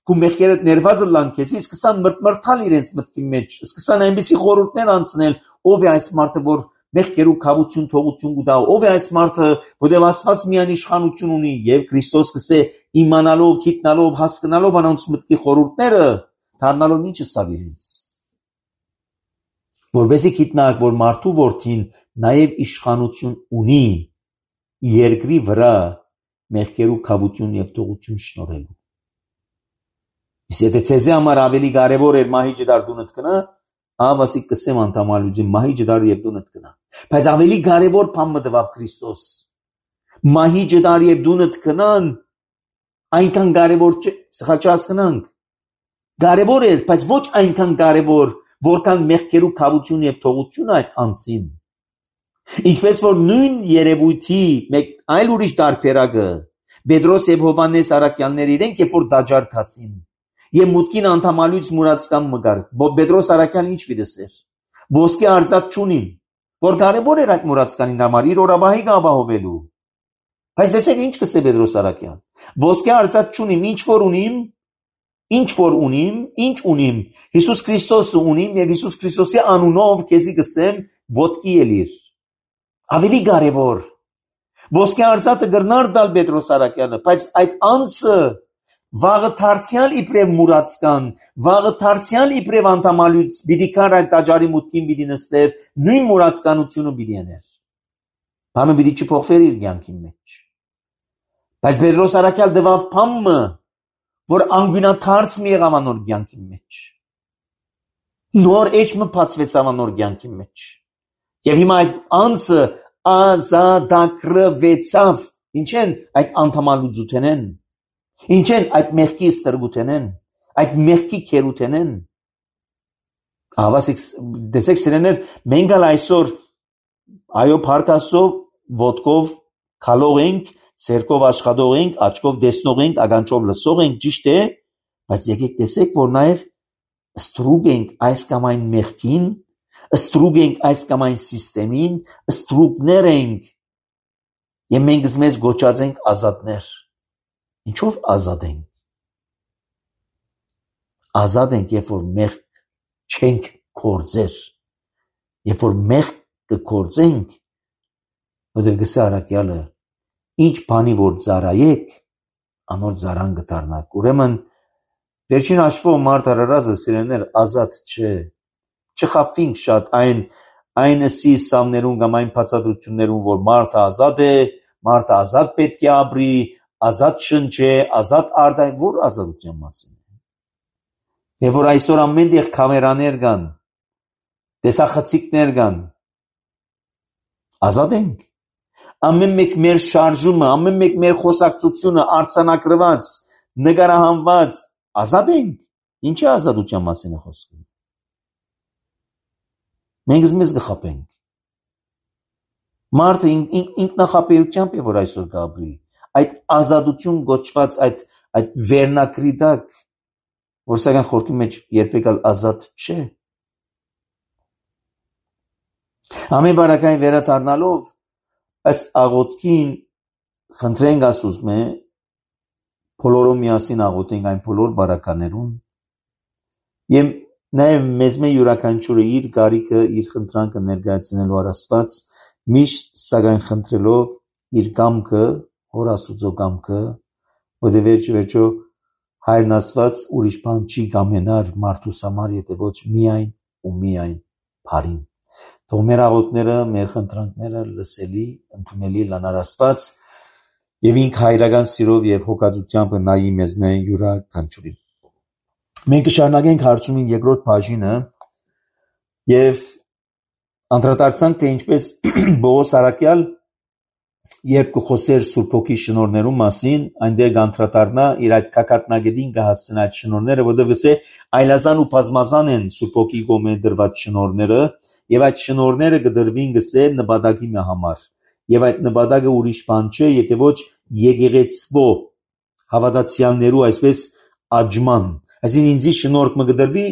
քու մեղքերդ ներված ըլլան քեզի սկսան մրթմրթալ իրենց մտքի մեջ սկսան այնպիսի խորհուրդներ անցնել ով է այս մարդը որ մեղքերու քավություն թողություն կտա ով է այս մարդը որտեղ Աստված միայն իշխանություն ունի եւ Քրիստոս կսե իմանալով գիտնալով հասկանալով անոնց մտքի խորհուրդները դառնալով ինչ ասավ իրենց որբեսի գիտնակ որ մարդու որդին նաև իշխանություն ունի երկրի վրա մեղքերու քավություն եւ թողություն շնորհելու։ Իսկ եթե ցեզի համար ավելի կարևոր էր մահի ջդար դունդ կնա, ավասի կսեմ անդամալուծի մահի ջդար եւ դունդ կնա։ Բայց ավելի կարևոր բան մտավ Քրիստոս։ Մահի ջդար եւ դունդ կնան այնքան կարևոր չէ, սխալ չհասկանանք։ Կարևոր էր, բայց ոչ այնքան կարևոր որքան մեղքերու քավություն եւ թողություն այդ անցին։ Ինչպես որ նույն երևույթի մեկ այլ ուրիշ տարբերակը Պետրոս եւ Հովանես Արաքյաններ իրենք երբ որ դաջարկացին եւ մուտքին անդամալուց մուրացկան մգար Պետրոս Արաքյան ինչ պիտեսեր ոսկե արծաթ չունին որ կարևոր էր այդ մուրացկանին համար իր օրաբահի ապահովելու բայց տեսեք ինչ կսե Պետրոս Արաքյան ոսկե արծաթ չունիմ ինչ որ ունիմ Հիսուս Քրիստոսը ունիմ եւ Հիսուս Քրիստոսի անունով քեզի գսեմ ոտքի ելիր ավելի կարևոր ոսկե արծաթը գրնար դալ Պետրոս Արաքյանը բայց այդ անձը վաղը դարձյալ իբրև մուրացկան, վաղը դարձյալ իբրև անդամալուց, պիտի կար այդ տաճարի մուտքին պիտի նստեր, նույն մուրացկանությունը պիտի եներ։ Բանը պիտի չփոխվեր իր կյանքի մեջ։ Բայց Պետրոս առաքյալ դվավ փամը, որ անգյունաթարց մի եղավ անոր կյանքի մեջ։ Նոր էջը բացվեց անոր կյանքի մեջ։ Եվ հիմա այդ անձը ազատագրվեցավ։ Ինչ են այդ անդամալուծութենեն։ Ինչ են այդ մեղքի ստրգութենեն, այդ մեղքի քերութենեն։ Ավասիկ դեսեք սիրեներ, մենք այսօր այո փարկասով, ոտքով քալող ենք, ցերկով աշխատող ենք, աչքով տեսնող ենք, ագանչով լսող ենք, ճիշտ է, բայց եկեք տեսեք, որ նաև ստրուկ ենք այս կամ այն մեղքին, ստրուկ ենք այս կամ այն սիստեմին, ստրուկներ ենք, եւ մենք մեզ գոչած ենք ազատներ։ Ինչով ազատ ենք։ Ազատ ենք, երբ որ մեղք չենք կործեր, երբ որ մեղք կկործենք, որտեղ գսե առաքյալը, ինչ բանի որ ծարայեք, անոր ծարան կդառնաք։ Ուրեմն վերջին հաշվով մարդ արարածը սիրելիներ ազատ չէ։ Չխափվենք շատ այն սիսամներուն կամ այն բացատրություններուն, որ մարդը ազատ է, մարդը ազատ պետք է ապրի, ազատ շնչե, ազատ արդայն, որ ազատության մասին է։ Եվ որ այսօր ամեն տեղ կամերաներ կան, տեսախցիկներ կան, ազատ ենք։ Ամեն մեկ մեր շարժումը, ամեն մեկ մեր խոսակցությունը արձանագրված, նկարահանված, ազատ ենք։ Ինչի ազատության մասին է խոսքը։ Մենք մեզ կխափենք։ Մարդը ինքնախապեյությամբ է, որ այսօր կապրի, այդ ազատություն գոչված այդ վերնակրի տակ, որ սակայն խորքի մեջ երբեք ազատ չէ։ Ամեն բարակային վերադառնալով այս աղոթքին խնդրենք Աստծո բոլորով միասին աղոթենք այն բոլոր բարականերուն եւ նաեւ մեզ յուրաքանչյուրը իր գարիքը, իր խնդրանքը ներկայացնելու առ Աստված միշտ սակայն խնդրելով իր կամքը, Հոր Աստուծո կամքը, որտեղ վերջո Հայրն Աստված ուրիշ բան չի կամենար մարդուս համար, եթե ոչ միայն ու միայն բարին։ Թող մեր աղոթքները, մեր խնդրանքները լսելի, ընդունելի լանար Աստված եւ ինք հայրական սիրով եւ հոգածությամբ նայի մեզ յուրաքանչյուրին։ Մենք կշարունակենք հարցումին երկրորդ բաժինը եւ անդրադարձանք թե ինչպես Պողոս առաքյալ երբ կխոսեր Սուրբ Հոգի շնորհներու մասին, այնտեղ կանդրադառնա իր այդ կակատնագետին կհասցնի այդ շնորհները, որտեղ գսե այլազան ու բազմազան են Սուրբ Հոգի կողմէ դրված շնորհները եւ այդ շնորհները կդրվին գսե նպատակի համար եւ այդ նպատակը ուրիշ բան չէ, եթե ոչ եկեղեցվո հավատացյալներու այսպես աճման, այսինքն ինձի շնորհք մը կդրվի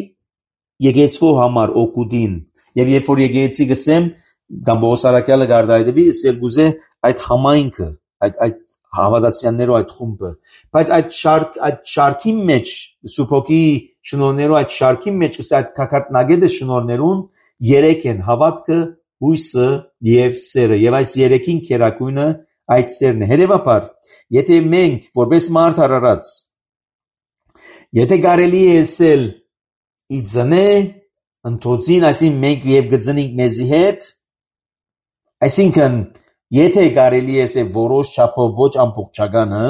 եկեղեցվո համար օգուտին եւ երբ որ եկեղեցի գսեմ կամ Պողոս առաքյալը գարդայդեվի սել գուզե այդ համայնքը այդ հավատացյալներու այդ խումբը բայց այդ շարքի մեջ Սուրբ Հոգի շնորհներու այդ շարքի մեջ գսե այդ կակատնագետը շնորհներուն երեք են հավատքը հույսը եւ սերը եւ այս երեքին քերակույնը այդ սերն է հետեւաբար եթե մենք որպես մարդ արարած եթե կարելի է ասել իձնե ընթոցին այսին մենք եւ գծնենք մեզի հետ այսինքն եթե կարելի է ասել որոշ չափով ոչ ամբողջականը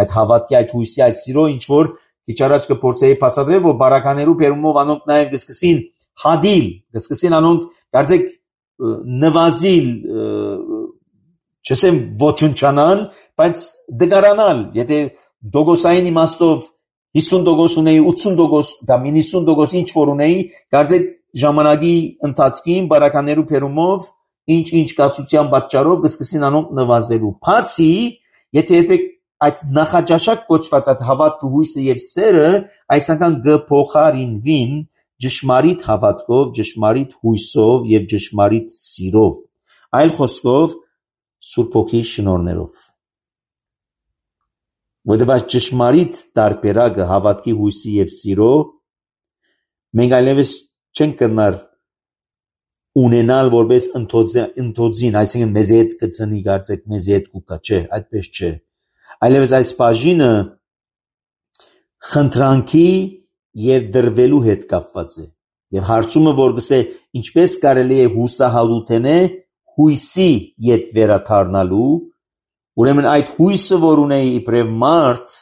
այդ հավատքի այդ հույսի այդ սիրո ինչ որ քիչ առաջ կփորձեի բացատրել որ բարականերու բերումով անոնք նաեւ կսկսին հադիլ կսկսին անոնք կարծեք նվազիլ չսեմ ոչնչանալ բայց դգարանալ եթե դոգոսային իմաստով 50% ունեի 80% կամ 90% ինչ որ ունեի կարծեք ժամանակի ընթացքին բարականերու բերումով ինչ կացության պատճառով կսկսին անոնք նվազելու բացի եթե երբեք այդ նախաճաշակ կոչված այդ հավատքը հույսը եւ սերը այսինքն գփոխարինվին ճշմարիտ հավատքով ճշմարիտ հույսով եւ ճշմարիտ սիրով այլ խոսքով Սուրբ Հոգի շնորհներով որտեղ այս ճշմարիտ տարբերակը հավատքի հույսի եւ սիրո մենք այլևս չենք կրնար ունենալ որպես ընթոցին, այսինքն մեզ հետ կծնի կարծեք մեզ հետ կուկա, չէ, այդպես չէ։ Այլևս այս բաժինը խնդրանքի եւ դրվելու հետ կապված է։ Եվ հարցումը, որ գսե ինչպես կարելի է հուսահատութենե հույսի յետ վերաթարնալու, ուրեմն այդ հույսը, որ ունեի իբրև մարդ,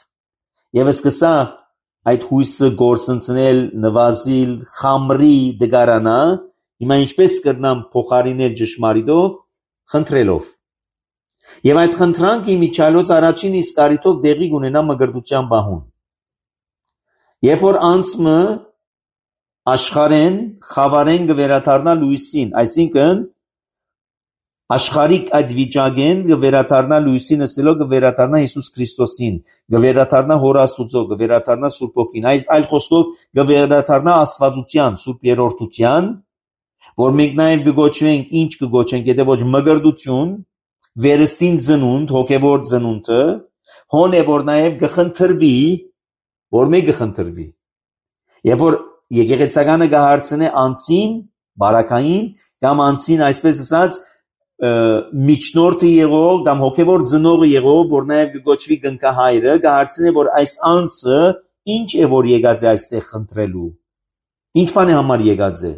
եւ սկսա այդ հույսը գործընծնել, նվազիլ, խամրի դգարանա, հիմա ինչպես կրնամ փոխարինել ճշմարիտով, խնդրելով։ Եվ այդ խնդրանքի միջալոց առաջին իսկ առիթով դեղի կունենա մգրտության բահուն։ Երբ որ անցմը աշխարհեն, խավարեն կվերաթարնա լույսին, այսինքն աշխարհիկ այդ վիճակեն կվերաթարնա լույսին, ասելով կվերաթարնա Հիսուս Քրիստոսին, կվերաթարնա Հոր Աստուծո, կվերաթարնա Սուրբ Հոգին, այլ խոսքով կվերաթարնա Աստվածության, Սուրբ Երրորդության, որ մենք նաև կգոչվենք, ինչ կգոչենք, եթե ոչ մգրտություն, վերստին ծնունդ, հոգևոր ծնունդը, հոն է որ նաև կխնդրվի, որ մեկ կխնդրվի։ Եվ որ եկեղեցականը կհարցնե անցին, բարակային, կամ անցին, այսպես ասած, միջնորդը եղող կամ հոգևոր ծնողը եղող, որ նաև կգոչվի կնքահայրը, կհարցնե, որ այս անձը ինչ է որ եկած է այստեղ խնդրելու։ Ինչ բան է համար եկած է։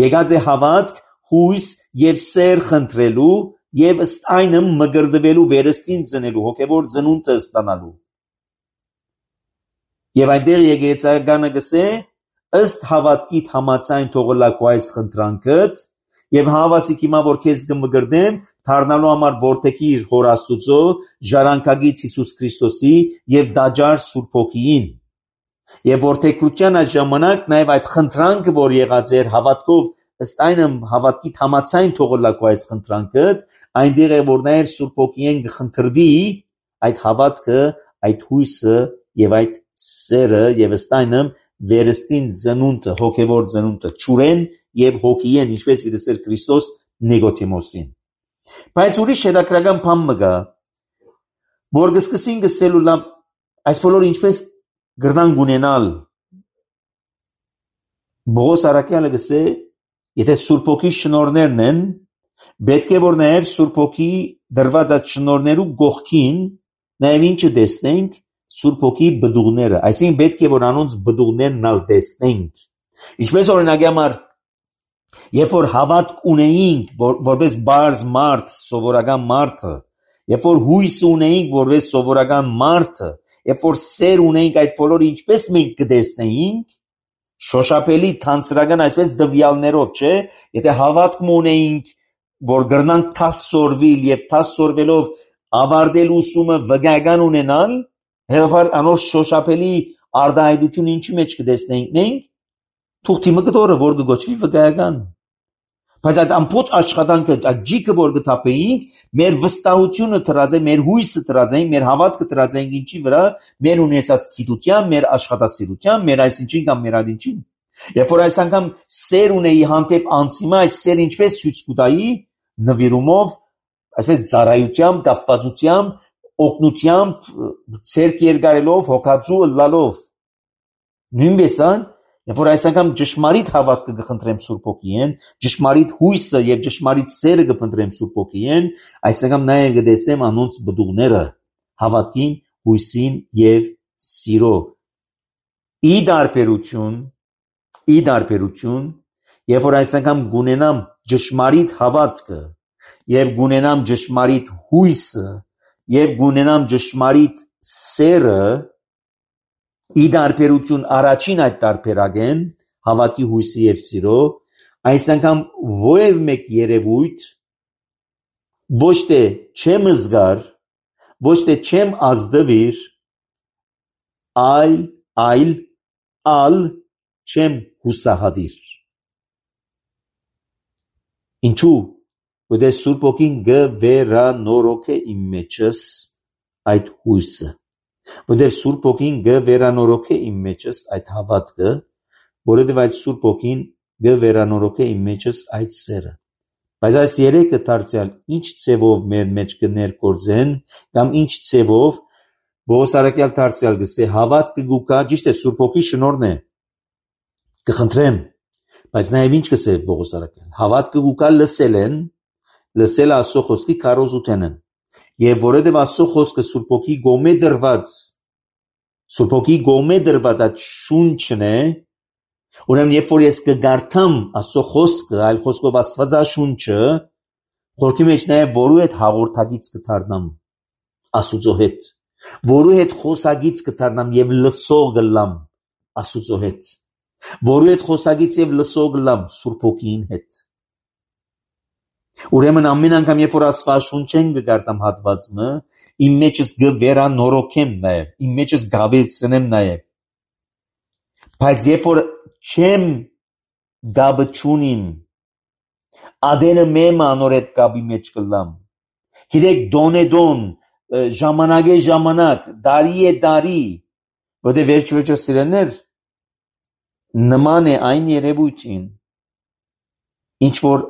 Եկած է հավատք, հույս եւ սեր խնդրելու եւ ըստ այնը մգրտվելու, վերստին ծնելու, հոգևոր ծնունդը ստանալու։ Եվ այնտեղ եկեղեցականը գսե ըստ հավատքիդ համաձայն թողլակու այս խնդրանքդ եւ հավասիկ հիմա որ քեզ կմգրտեմ դառնալու համար որդեքիր Հոր Աստուծո ժառանգագից Հիսուս Քրիստոսի եւ դաջար Սուրբ Հոգիին եւ որդեքրության այդ ժամանակ նաեւ այդ խնդրանքը որ եղած էր հավատքով ըստ այնը հավատքիդ համաձայն թողլակու այս խնդրանքդ այնտեղ է որ նաեւ Սուրբ Հոգիին կխնդրվի այդ հավատքը այդ հույսը եւ այդ սերը եւ ըստ այնը վերստին ծնունդը, հոգևոր ծնունդը, ճուրեն եւ հոգիեն, ինչպես դասեր Քրիստոս Նիկոդիմոսին։ Բայց ուրիշ հետաքրական բան մգա, որ գսկսին գսելու լավ, այս բոլորը ինչպես գրնան գունենալ։ Բողոս Արաքյալը գսե, եթե Սուրբ Հոգի շնորներն են, պետք է որ նաեւ Սուրբ Հոգի դրված այդ շնորներու գողքին նաեւ ինչը տեսնենք Սուրբ Հոգի բդուղները, այսինքն պետք է որ անոնց բդուղներն ալ տեսնենք։ Ինչպես օրինակի համար, երբ որ հավատք ունեինք, որպես բարձ մարդ, սովորական մարդը, երբ որ հույս ունեինք, որպես սովորական մարդը, երբ որ սեր ունեինք այդ բոլորը ինչպես մենք կտեսնեինք, շոշափելի թանցրական այսպես դվյալներով, չէ՞, եթե հավատք ունեինք, որ գրնանք թասորվիլ եւ թասորվելով ավարտել ուսումը վգական ունենալ, Հեղափար անոր շոշափելի արդահայտություն ինչի մեջ կտեսնենք մենք թուղթի մկդորը որ կգոչվի վկայական բայց այդ ամբողջ աշխատանքը այդ ջիկը որ կթափեինք մեր վստահությունը դրած է մեր հույսը դրած է մեր հավատքը դրած է ինչի վրա մեր ունեցած գիտության մեր աշխատասիրության մեր այսինչին կամ մեր ադինչին երբ որ այս անգամ սեր ունեի հանդեպ անցիմա այդ սեր ինչպես ցույց կտայի նվիրումով այսպես ծառայությամբ կապվածությամբ օգնությամբ ցերկ երկարելով հոգածու լալով նույնպես երբ որ այս անգամ ճշմարիտ հավատքը կխնդրեմ Սուրբ Հոգիին ճշմարիտ հույսը եւ ճշմարիտ սերը կփնտրեմ Սուրբ Հոգիին այս անգամ նաեւ կտեսնեմ անոնց բդուղները հավատքին հույսին եւ սիրո ի դարբերություն երբ որ այս անգամ գունենամ ճշմարիտ հավատքը եւ գունենամ ճշմարիտ հույսը եւ գունենամ ճշմարիտ սերը ի դարբերություն առաջին այդ դարբերագեն հավատքի հույսի եւ սիրո այս անգամ ովև մեկ երևույթ ոչ թե չեմ զգար ոչ թե չեմ ազդվիր այլ չեմ հուսահատիր ինչու ودե Սուրբ Հոգին գվերանորոգե իմ մեջս այդ հույսը ودե Սուրբ Հոգին գվերանորոգե իմ մեջս այդ հավատքը որովհետև այդ Սուրբ Հոգին գվերանորոգե իմ մեջս այդ սերը բայց այս երեքը դարձյալ ինչ ցևով մեր մեջ կներկործեն կամ ինչ ցևով Բողոս Արաքյալ դարձյալ գսե հավատքը գուկա ճիշտ է Սուրբ Հոգի շնորհն է կխնդրեմ բայց նաև ինչ կսե Բողոս Արաքյալ հավատքը գուկա լսել Աստծո խոսքի քարոզութենն եւ որովհետեւ Աստծո խոսքը Սուրբ Հոգի գոմե դրված Սուրբ Հոգի գոմե դրված այդ շունչն է, ուրեմն երբ որ ես կգարթամ Աստծո խոսքը, այլ խոսքով Աստվածաշունչը, խորքի մեջ նաև որու հետ հաղորդագից կդառնամ Աստուծո հետ, որու հետ խոսագից կդառնամ եւ լսող կլամ Աստուծո հետ, որու հետ խոսագից եւ լսող կլամ Սուրբ Հոգին հետ։ Ուրեմն ամեն անգամ երբ որ Աստվածաշունչեն կգարտամ հատվածը, իմ մեջս կվերանորոգեմ նաև, իմ մեջս գավեցնեմ նաև։ Բայց երբ որ չեմ գաբը չունիմ, ադենը մեմ անորետ գաբի մեջ կլամ։ Գիտեք դոն ժամանակ է ժամանակ, դարի է դարի, որտեղ վերջ-վերջը սիրելներ նման է այն երևույթին, ինչ որ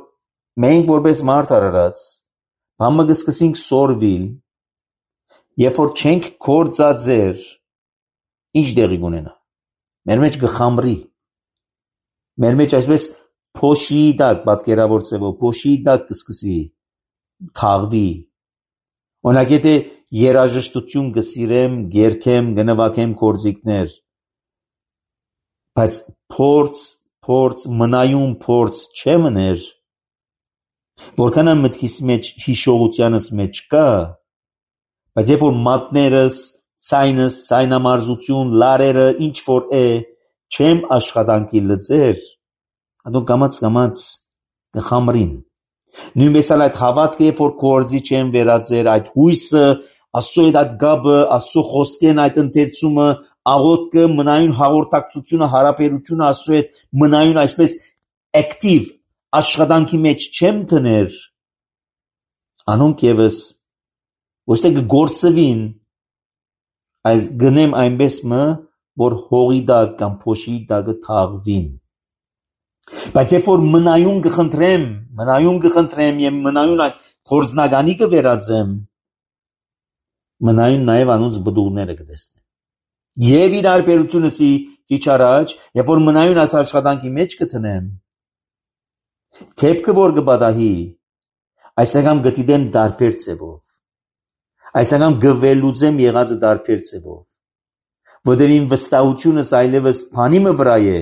մենք որպես մարդ արարած, համը կսկսենք սորվիլ, երբ որ չենք կործածեր, ինչ դեղի կունենա։ Մեր մեջ կխամրի, մեր մեջ այսպես փոշի դակ, պատկերավոր ձևով, փոշի դակ կսկսի թաղվի։ Օրինակ եթե երաժշտություն կսիրեմ, գերքեմ, կնվագեմ գործիքներ, բայց մնայուն փորձ չեմներ, որքան մտքիս մեջ հիշողությանս մեջ կա, բայց երբ որ մատներս, ցայնս, ցայնամարզություն, լարերը, ինչ որ է, չեմ աշխատանքի լծեր, ադոք կամաց կխամրին։ Նույնպես էլ այդ հավատքը, երբ որ գործի չեմ վերածեր, այդ հույսը, Աստծո հետ այդ գաբը, Աստծո խոսքեն այդ ընթերցումը, աղոթքը, մնայուն հաղորդակցությունը, հարաբերությունը Աստծո հետ, մնայուն այսպես active աշխատանքի մեջ չեմ տներ, անոնք եւս ոչ թե կգործվին, այս գնեմ այնպես որ հողի դակ կամ փոշի դակը թաղվին։ Բայց երբ որ մնայուն կխնդրեմ եւ մնայուն այդ գործնականի կվերածեմ, մնայուն նաև անոնց բդուղները կտեսնեմ։ Եվ իր արբերությունըսի քիչ առաջ, երբ որ մնայուն այս աշխատանքի մեջ կտնեմ, թեփքը որ կբադահի, այս անգամ գտիդեմ դարբեր ձևով, այս անգամ գվելուծեմ եղածը դարբեր ձևով, որտեղ իմ վստահությունս այլևս բանի վրա է,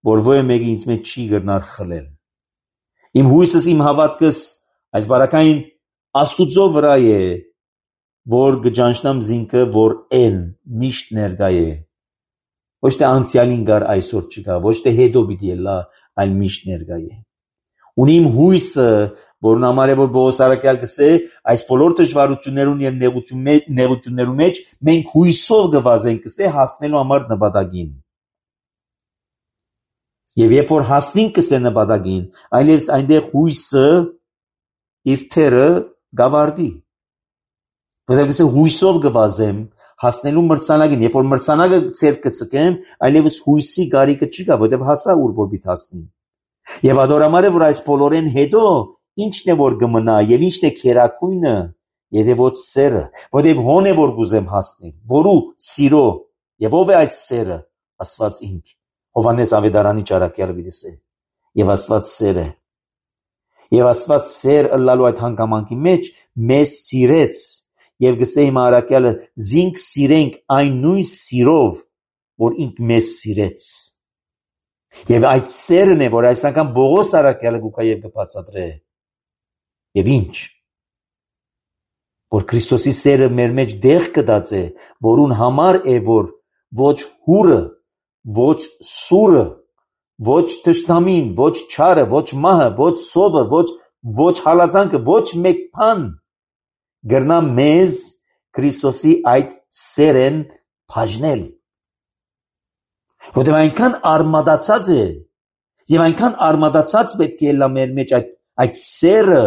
որ ոյ մեկը ինձ մեջ չի գտնար խլել։ Իմ հույսս, իմ հավատքս այս բարակային Աստուծո վրա է, որ գճանչնամ զինքը, որ են միշտ ներկա է։ Ոչ թե անցյալին գար այսօր չկա, ոչ թե հետո պիտի ելա, այլ միշտ ներկա է։ Ունի իմ հույսը, որն համար է որ Պողոս առաքյալ կսե, այս բոլոր դժվարություններուն եւ նեղություններու մեջ մենք հույսով կվազենք կսե հասնելու համար նպատակին։ Եվ երբ որ հասնենք կսե նպատակին, այլևս այնտեղ հույսը իր թերը գավարդի։ Որտեղ կսե հույսով կվազեմ հասնելու մրցանակին, երբ որ մրցանակը ցեր կծկեմ, այլևս հույսի գարիկը չկա, որտեղ հասա ուր որ պիտի հասնի։ Եվ ադորամարը որ այս բոլորեն հետո ինչն է որ կմնա եւ ինչն է քերակույնը, եթե ոչ սերը, որտեղ հոն է որ գուզեմ հասնել, որու սիրո եւ ով է այս սերը, Աստված ինք։ Հովանես Ավետարանի ճարակյալը դիսե եւ Աստված սեր է։ Եվ Աստված սեր ըլլալու այդ հանգամանքի մեջ մեզ սիրեց եւ գսե իմ առաքյալը զինք սիրենք այն նույն սիրով, որ ինք մեզ սիրեց։ Եվ այդ սերն է, որ այս անգամ Պողոս առաքյալը գուկա եւ կբացատրե։ Եվ ինչ որ Քրիստոսի սերը մեր մեջ դեղ կդած է, որուն համար է որ ոչ հուրը, ոչ սուրը, ոչ թշնամին, ոչ չարը, ոչ մահը, ոչ սովը, ոչ հալածանքը, ոչ մեկ բան գրնա մեզ Քրիստոսի այդ սերեն բաժնել։ Որտեղ այնքան արմատացած է եւ այնքան արմատացած պետք է լա մեր մեջ այդ սերը,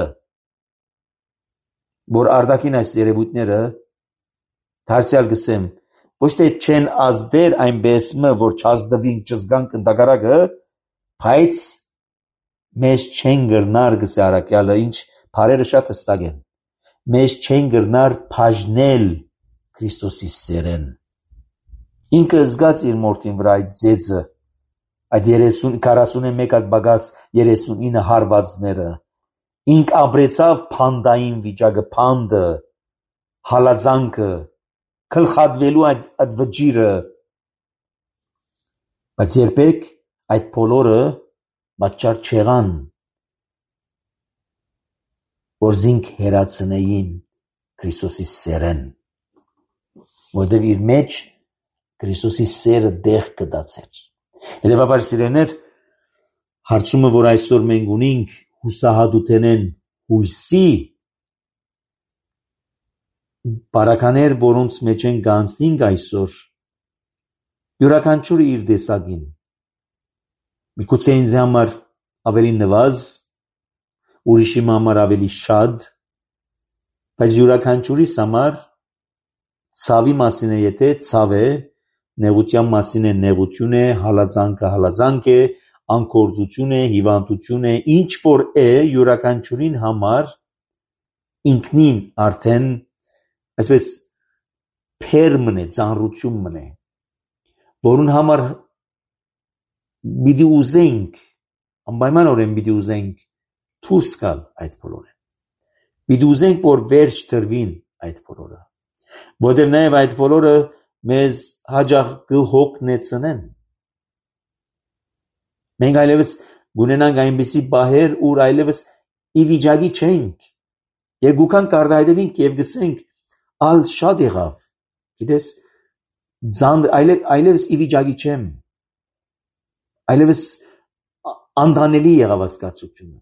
որ արդակին այս երևույթները դարձյալ գսեմ ոչ թե չեն ազդեր այնպես որ չազդվինք չզգանք ընդհակառակը, բայց մեզ չեն գրնար գսե առաքյալը, ինչ բարերը շատ հստակ են, մեզ չեն գրնար բաժնել Քրիստոսի սերեն։ Ինքը զգաց իր մորթին վրա այդ ձեծը, այդ 41 այդ բագաս 39 հարվածները, ինք ապրեցավ փանդային վիճակը, փանդը, հալածանքը, գլխատվելու այդ վճիրը, բայց երբեք այդ բոլորը պատճառ չեղան, որ զինք հերացնեին Քրիստոսի սերեն, որտեղ իր մեջ Քրիստոսի սերը դեղ կդացեր։ Հետևաբար սիրելիներ, հարցումը, որ այսօր մենք ունենք, հուսահատութենեն հույսի բարականեր, որոնց մեջ են գանցնինք այսօր, յուրաքանչյուրը իր տեսակին, միգուցե ինձ համար ավելի նվազ, ուրիշի համար ավելի շատ, բայց յուրաքանչյուրիս համար ցավի մասին է, եթե ցավ է, նեղության մասին է, նեղություն է, հալածանքը հալածանք է, անկործություն է, հիվանդություն է, ինչ որ է, յուրաքանչյուրին համար ինքնին արդեն այսպես փեր մնե, ծանրություն մնե, որուն համար պիտի ուզենք, անպայմանորեն պիտի ուզենք դուրս գալ այդ բոլորը, պիտի ուզենք, որ վերջ տրվին այդ բոլորը, որտեղ նաև այդ բոլորը մեզ հաջող կհոգնեցնեն։ Մենք այլևս գունենանք այնպիսի բահեր, ուր այլևս ի վիճակի չենք, երկուքան կարտահայտվենք և գսենք, ալ շատ եղավ, գիտես, այլևս ի վիճակի չեմ, այլևս անդանելի եղավ հասկացությունը։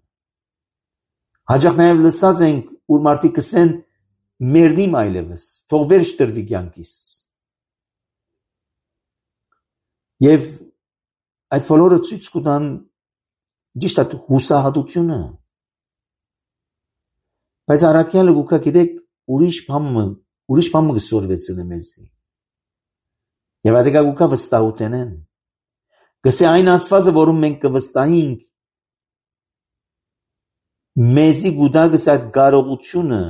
Հաջող նաև լսած ենք, ուր մարդիկ կսեն մերնիմ այլևս, թող վերջ տրվի կյանքիս։ Եվ այդ բոլորը ցույց կտան ճիշտ այդ հուսահատությունը։ Բայց առաքյալը գուկա գիտեք ուրիշ բան կսորվեցնե մեզի։ Եվ այդ գուկա վստահութենեն։ Գսե այն Աստվածը, որում մենք կվստահենք, մեզի գուտագս այդ կարողությունը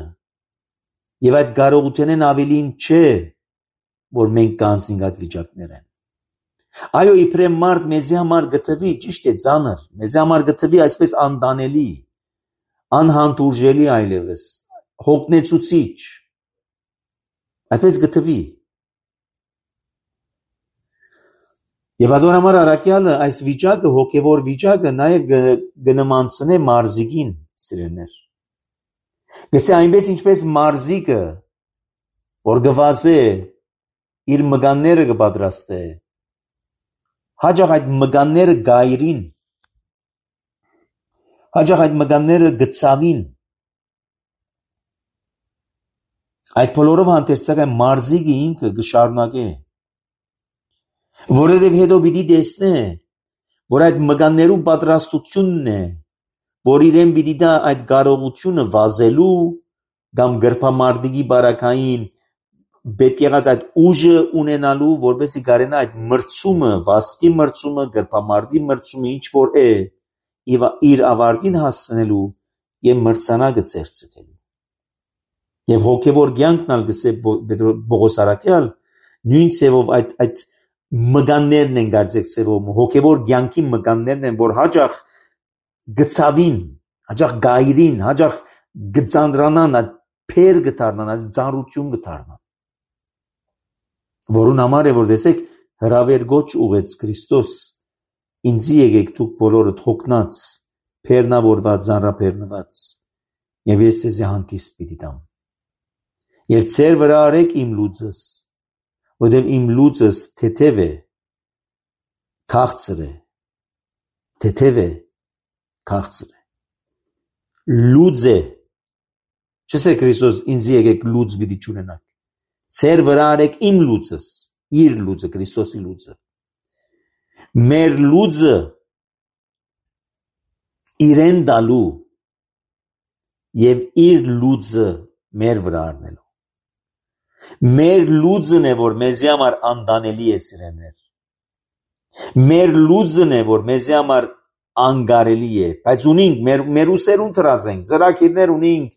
եւ այդ կարողութենեն ավելին չէ, որ մենք կանցնենք այդ վիճակներեն։ Այո, իբրև մարդ մեզի համար գտվի, ճիշտ է, ծանր, մեզի համար գտվի այսպես անդանելի, անհանդուրժելի այլևս, հոգնեցուցիչ, այդպես գտվի։ Եվ այդ համար առաքյալը այս վիճակը, հոգևոր վիճակը նաև կնմանցնե մարզիկին, սիրելիներ։ Գսե այնպես ինչպես մարզիկը, որ գվազե իր մգանները կպատրաստե, հաջող այդ մգանները գայրին, հաջող այդ մգանները գծավին, այդ բոլորով հանդերձակ այն մարզիկը ինքը կշարունակե, որովհետև հետո պիտի տեսնե, որ այդ մգաններու պատրաստությունն է, որ իրեն պիտի դա այդ կարողությունը վազելու կամ գրպամարտիկի բարակային պետք եղած այդ ուժը ունենալու, որպեսզի կարենա այդ մրցումը, վազքի մրցումը, գրպամարտի մրցումը, ինչ որ է, իր ավարտին հասցնելու եւ մրցանակը ցերծելու։ Եվ հոգևոր կյանքն ալ գսե Պողոս առաքյալ նույն ցևով այդ մգաններն են գարձեք ցևով, հոգևոր կյանքի մգաններն են, որ հաջող գծավին, հաջող գայրին, հաջող գծանդրանան, այդ փեր գտարնան, այդ ծանրություն գտարնան։ Որուն համար է, որ տեսեք, հրավեր գոչ ուղեց Քրիստոս, ինձի եկեք դուք բոլորդ հոգնած, փերնավորված, ծանրափերնված, եւ ես ձեզ հանգիստ պիտի տամ։ Եվ ձեր վրա արեք իմ լուծս, որտեղ իմ լուծս թեթև է, քաղցր է, թեթև է, քաղցր է, լուծ է, չսե Քրիստոս ինձ եկեք լուծ պիտի չունենաք, ձեր վրա արեք իմ լուծս, իր լուծը, Քրիստոսի լուծը, մեր լուծը իրեն դալու եւ իր լուծը մեր վրա առնելու։ Մեր լուծն է, որ մեզի համար անդանելի է, սիրելիներ։ Մեր լուծն է, որ մեզի համար անգարելի է, բայց ունենք, մեր ուսերուն տրած ենք, ծրագիրներ ունենք,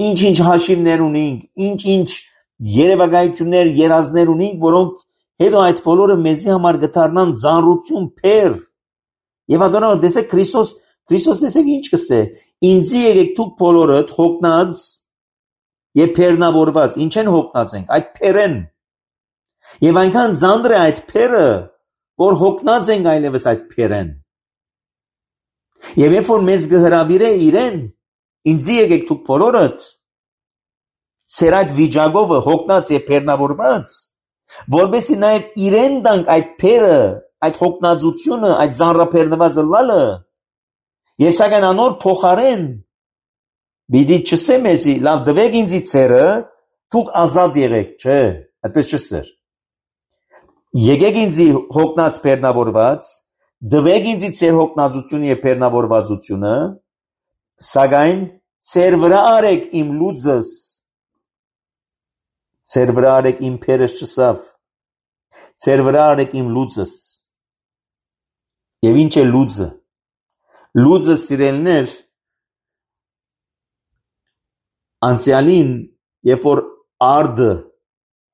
ինչ-ինչ հաշիվներ ունենք, ինչ-ինչ երևակայություններ, երազներ ունենք, որոնք հետո այդ բոլորը մեզի համար գտարնան ծանրություն, փեր։ Եվ ադոնա, տեսեք Քրիստոս տեսեք ինչ կսե, ինձի եկեք դուք բոլորդ հոգնած, եւ բեռնավորված, ինչ են հոգնած ենք, այդ փերեն։ Եվ այնքան ծանր է այդ փերը, որ հոգնած ենք այլևս այդ փերեն։ Եվ երբ որ մեզ գհրավիրե իրեն, ինձի եկեք դուք բոլորդ, ծեր այդ վիճակով հոգնած եւ բեռնավորված, որովհետեւ նաեւ իրեն տանք այդ փերը, այդ հոգնածությունը, այդ ծանրաբեռնվածը լալը, եւ սակայն անոր փոխարեն Բիդի չսե մեզի, լավ դվեք ինձի ծերը, դուք ազատ եղեք, չէ, այդպես չսեր։ Եկեք ինձի հոգնած բեռնավորված, դվեք ինձի ծեր հոգնածությունը եւ բեռնավորվածությունը, սակայն ծեր վրա արեք իմ լուծս, ծեր վրա արեք իմ փերս չսավ, ծեր վրա արեք իմ լուծս։ Եվ ինչ է լուծը։ Լուծը սիրելներ անցյալին, երբ որ արդը,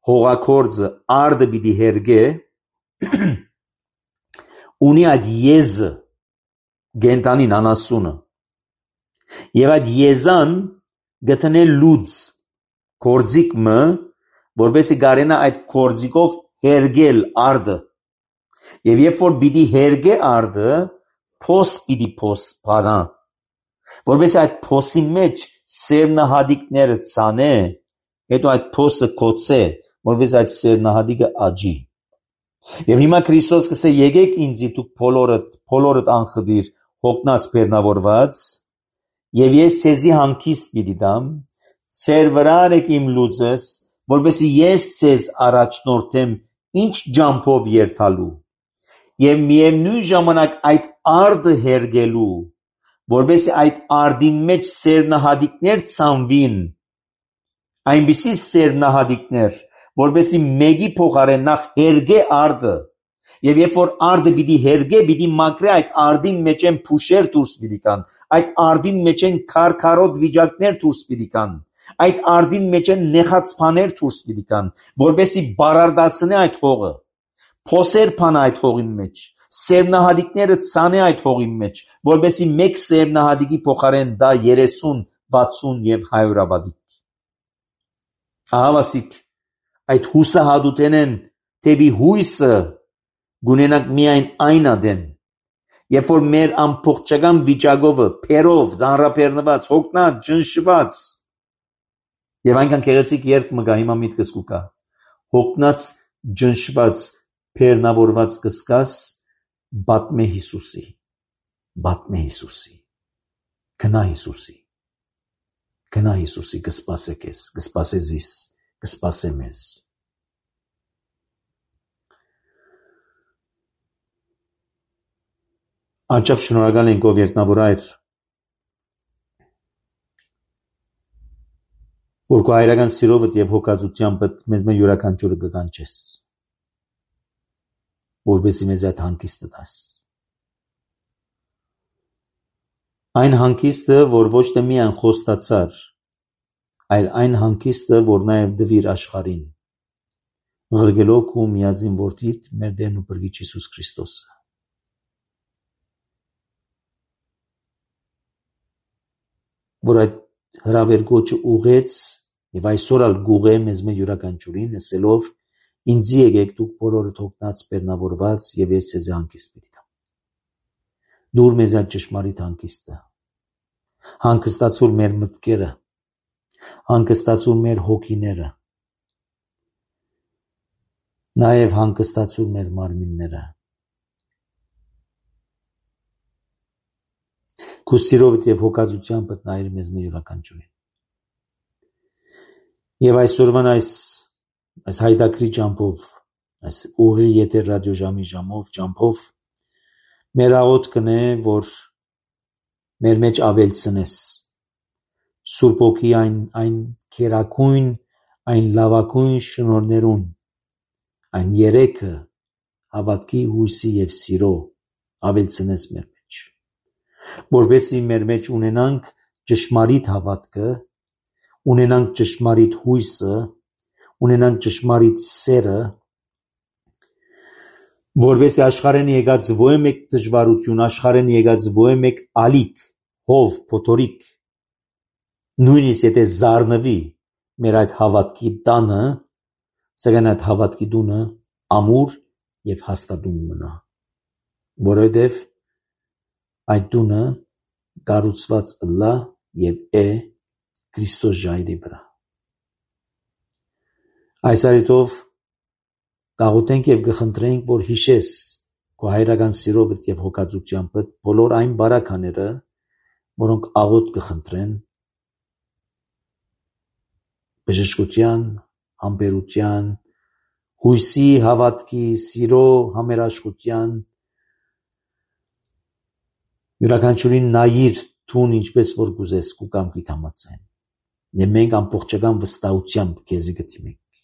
հողակորձը, արդը պիտի հերգե, ունի այդ եզը, գենտանին անասունը, եւ այդ եզան գտնե լուծ, կորձիկ մը, որպեսի գարենա այդ կորձիկով հերգել արդը, եւ երբ որ պիտի հերգե արդը, փոս պիտի փոս պարա, որպեսի այդ փոսի մեջ սերմնահադիկները ցանե, հետո այդ փոսը կոծե, որպես այդ սերմնահադիկը աճի։ Եվ հիմա Քրիստոս կսե եկեք ինձի դուք բոլորդ անխդիր հոգնած բեռնավորված, եւ ես ցեզի հանգիստ պիտի տամ, ծեր վրա արեք իմ լուծս, որպեսզի ես ցեզ առաջնորդեմ ինչ ջամփով երթալու, եւ միևնույն ժամանակ այդ արդը հերգելու, որպեսզի այդ արդի մեջ սերմնահադիկներ ցանվին, այնպիսի սերմնահադիկներ, որպեսզի մեկի փոխարեն նախ հերգե արդը, եւ երբ որ արդը պիտի հերգե, պիտի մաքրե այդ արդի մեջ են փուշեր դուրս պիտի կան, այդ արդին մեջ են քարքարոտ վիճակներ դուրս պիտի կան, այդ արդին մեջ են նեղած բաներ դուրս պիտի կան, որպեսզի բարարդացնե այդ հողը, փոսեր փան այդ հողին մեջ, սերմնահադիկները ցանե այդ հողի մեջ, որպեսզի մեկ սերմնահադիկի փոխարեն դա 30, 60 եւ 100 ավադիկ։ Ահավասիկ, այդ հուսահատութենեն դեպի հույսը գունենանք միայն այն ադեն, երբ որ մեր ամբողջական վիճակովը, փերով, ծանրաբեռնված, հոգնած, ջնշված, եւ այնքան գեղեցիկ երկ մգա հիմա միտքս կուկա, հոգնած, ջնշված, բեռնավորված կսկաս, բատմե Հիսուսի, գնա Հիսուսի, կսպասե քեզ, կսպասե զիս, կսպասե մեզ։ Աճապ շնորհակալ ենք ով երտնավոր այր, որ քո հայրական սիրովդ եւ հոգածությամբ մեզ մե յուրաքանչյուրը կկանչես, որպեսզի մեզ այդ հանգիստը տաս։ Այն հանգիստը, որ ոչ թե միայն խոստացար, այլ այն հանգիստը, որ նաև դվիր աշխարհին, ղրգելով քո միածին որդիդ, մեր Տերն ու Փրկիչ Հիսուս Քրիստոսը։ Որ այդ հրավեր գոչը ուղեց եւ այսօր ալ գուղե մեզ մե յուրաքանչյուրին ասելով ինձի եկեք դուք բոլորդ հոգնած բեռնավորված եւ ես ձեզ հանգիստ պիտի տամ։ Դուր մեզ այդ ճշմարիտ հանգիստը, հանգստացուր մեր մտքերը, հանգստացուր մեր հոգիները, նաեւ հանգստացուր մեր մարմինները։ Քո սիրովդ եւ հոգածությամբ նայիր մեզ մի յուրաքանչյուրին։ Եվ այսօրվան այս հայտակրի ճամփով, այս ուղի եթեր ռադիոժամի ճամփով մեր աղոթ կնե, որ մեր մեջ ավելցնես Սուրբ Օքի այն քերակույն, այն լավակույն շնորհներուն, այն երեքը հավատքի, հույսի եւ սիրո ավելցնես մեր մեջ, որովհետեւ մեր մեջ ունենանք ճշմարիտ հավատքը, ունենանք ճշմարիտ հույսը, ունենանք ճշմարիտ սերը, որովհետեւ աշխարհեն եկած ո՞ե մեկ դժվարություն, աշխարհեն եկած ո՞է մեկ ալիք, հով, փոթորիկ, նույնիսկ եթե զարնվի, մեր այդ հավատքի տանը, սակայն այդ հավատքի տունը ամուր եւ հաստատուն մնա, որովհետեւ այդ տունը կառուցված ըլլա եւ է Քրիստոս ժայռի վրա։ Այս արիտով կաղոթենք եւ կխնդրենք, որ հիշես քո հայրական սիրովդ եւ հոգածությամբ բոլոր այն բարակաները, որոնք աղոթ կխնդրեն բժշկության, համբերության, հույսի, հավատքի, սիրո, համերաշխության, յուրաքանչյուրին նայիր թուն ինչպես որ գուզես քու կամքիդ համաձայն։ Եվ մենք ամբողջական վստահությամբ քեզի կդիմենք,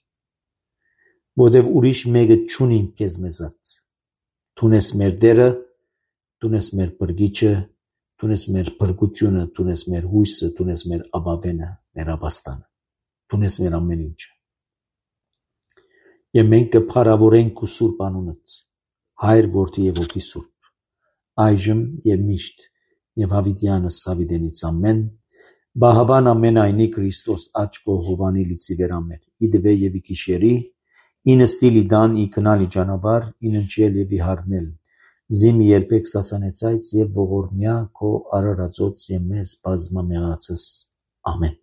որովհետև ուրիշ մեկը չունենք քեզ մեզած։ Դու ես մեր Տերը, դու ես մեր Բրգիչը, դու ես մեր բրգությունը, դու ես մեր հույսը, դու ես մեր ապավենը, մեր ապաստանը, դու ես մեր ամեն ինչը։ Եվ մենք կփառավորենք քո սուրբ անունդ, Հայր, Որդի եւ Հոգի Սուրբ, այժմ եւ միշտ եւ հավիտյանս հավիտենից ամեն։ Բահաբան ամենայնի Քրիստոս աչքո Հովանի լիցի վերամեր, իդվե եւ իքիշերի, ինստիլ իդան իքնալի ճանապար, ինընչել եւ իհարնել, զիմ երբեք սասանեցայց եւ ողորմյա քո արարածոց եւ մեզ բազմամեղացս, ամեն։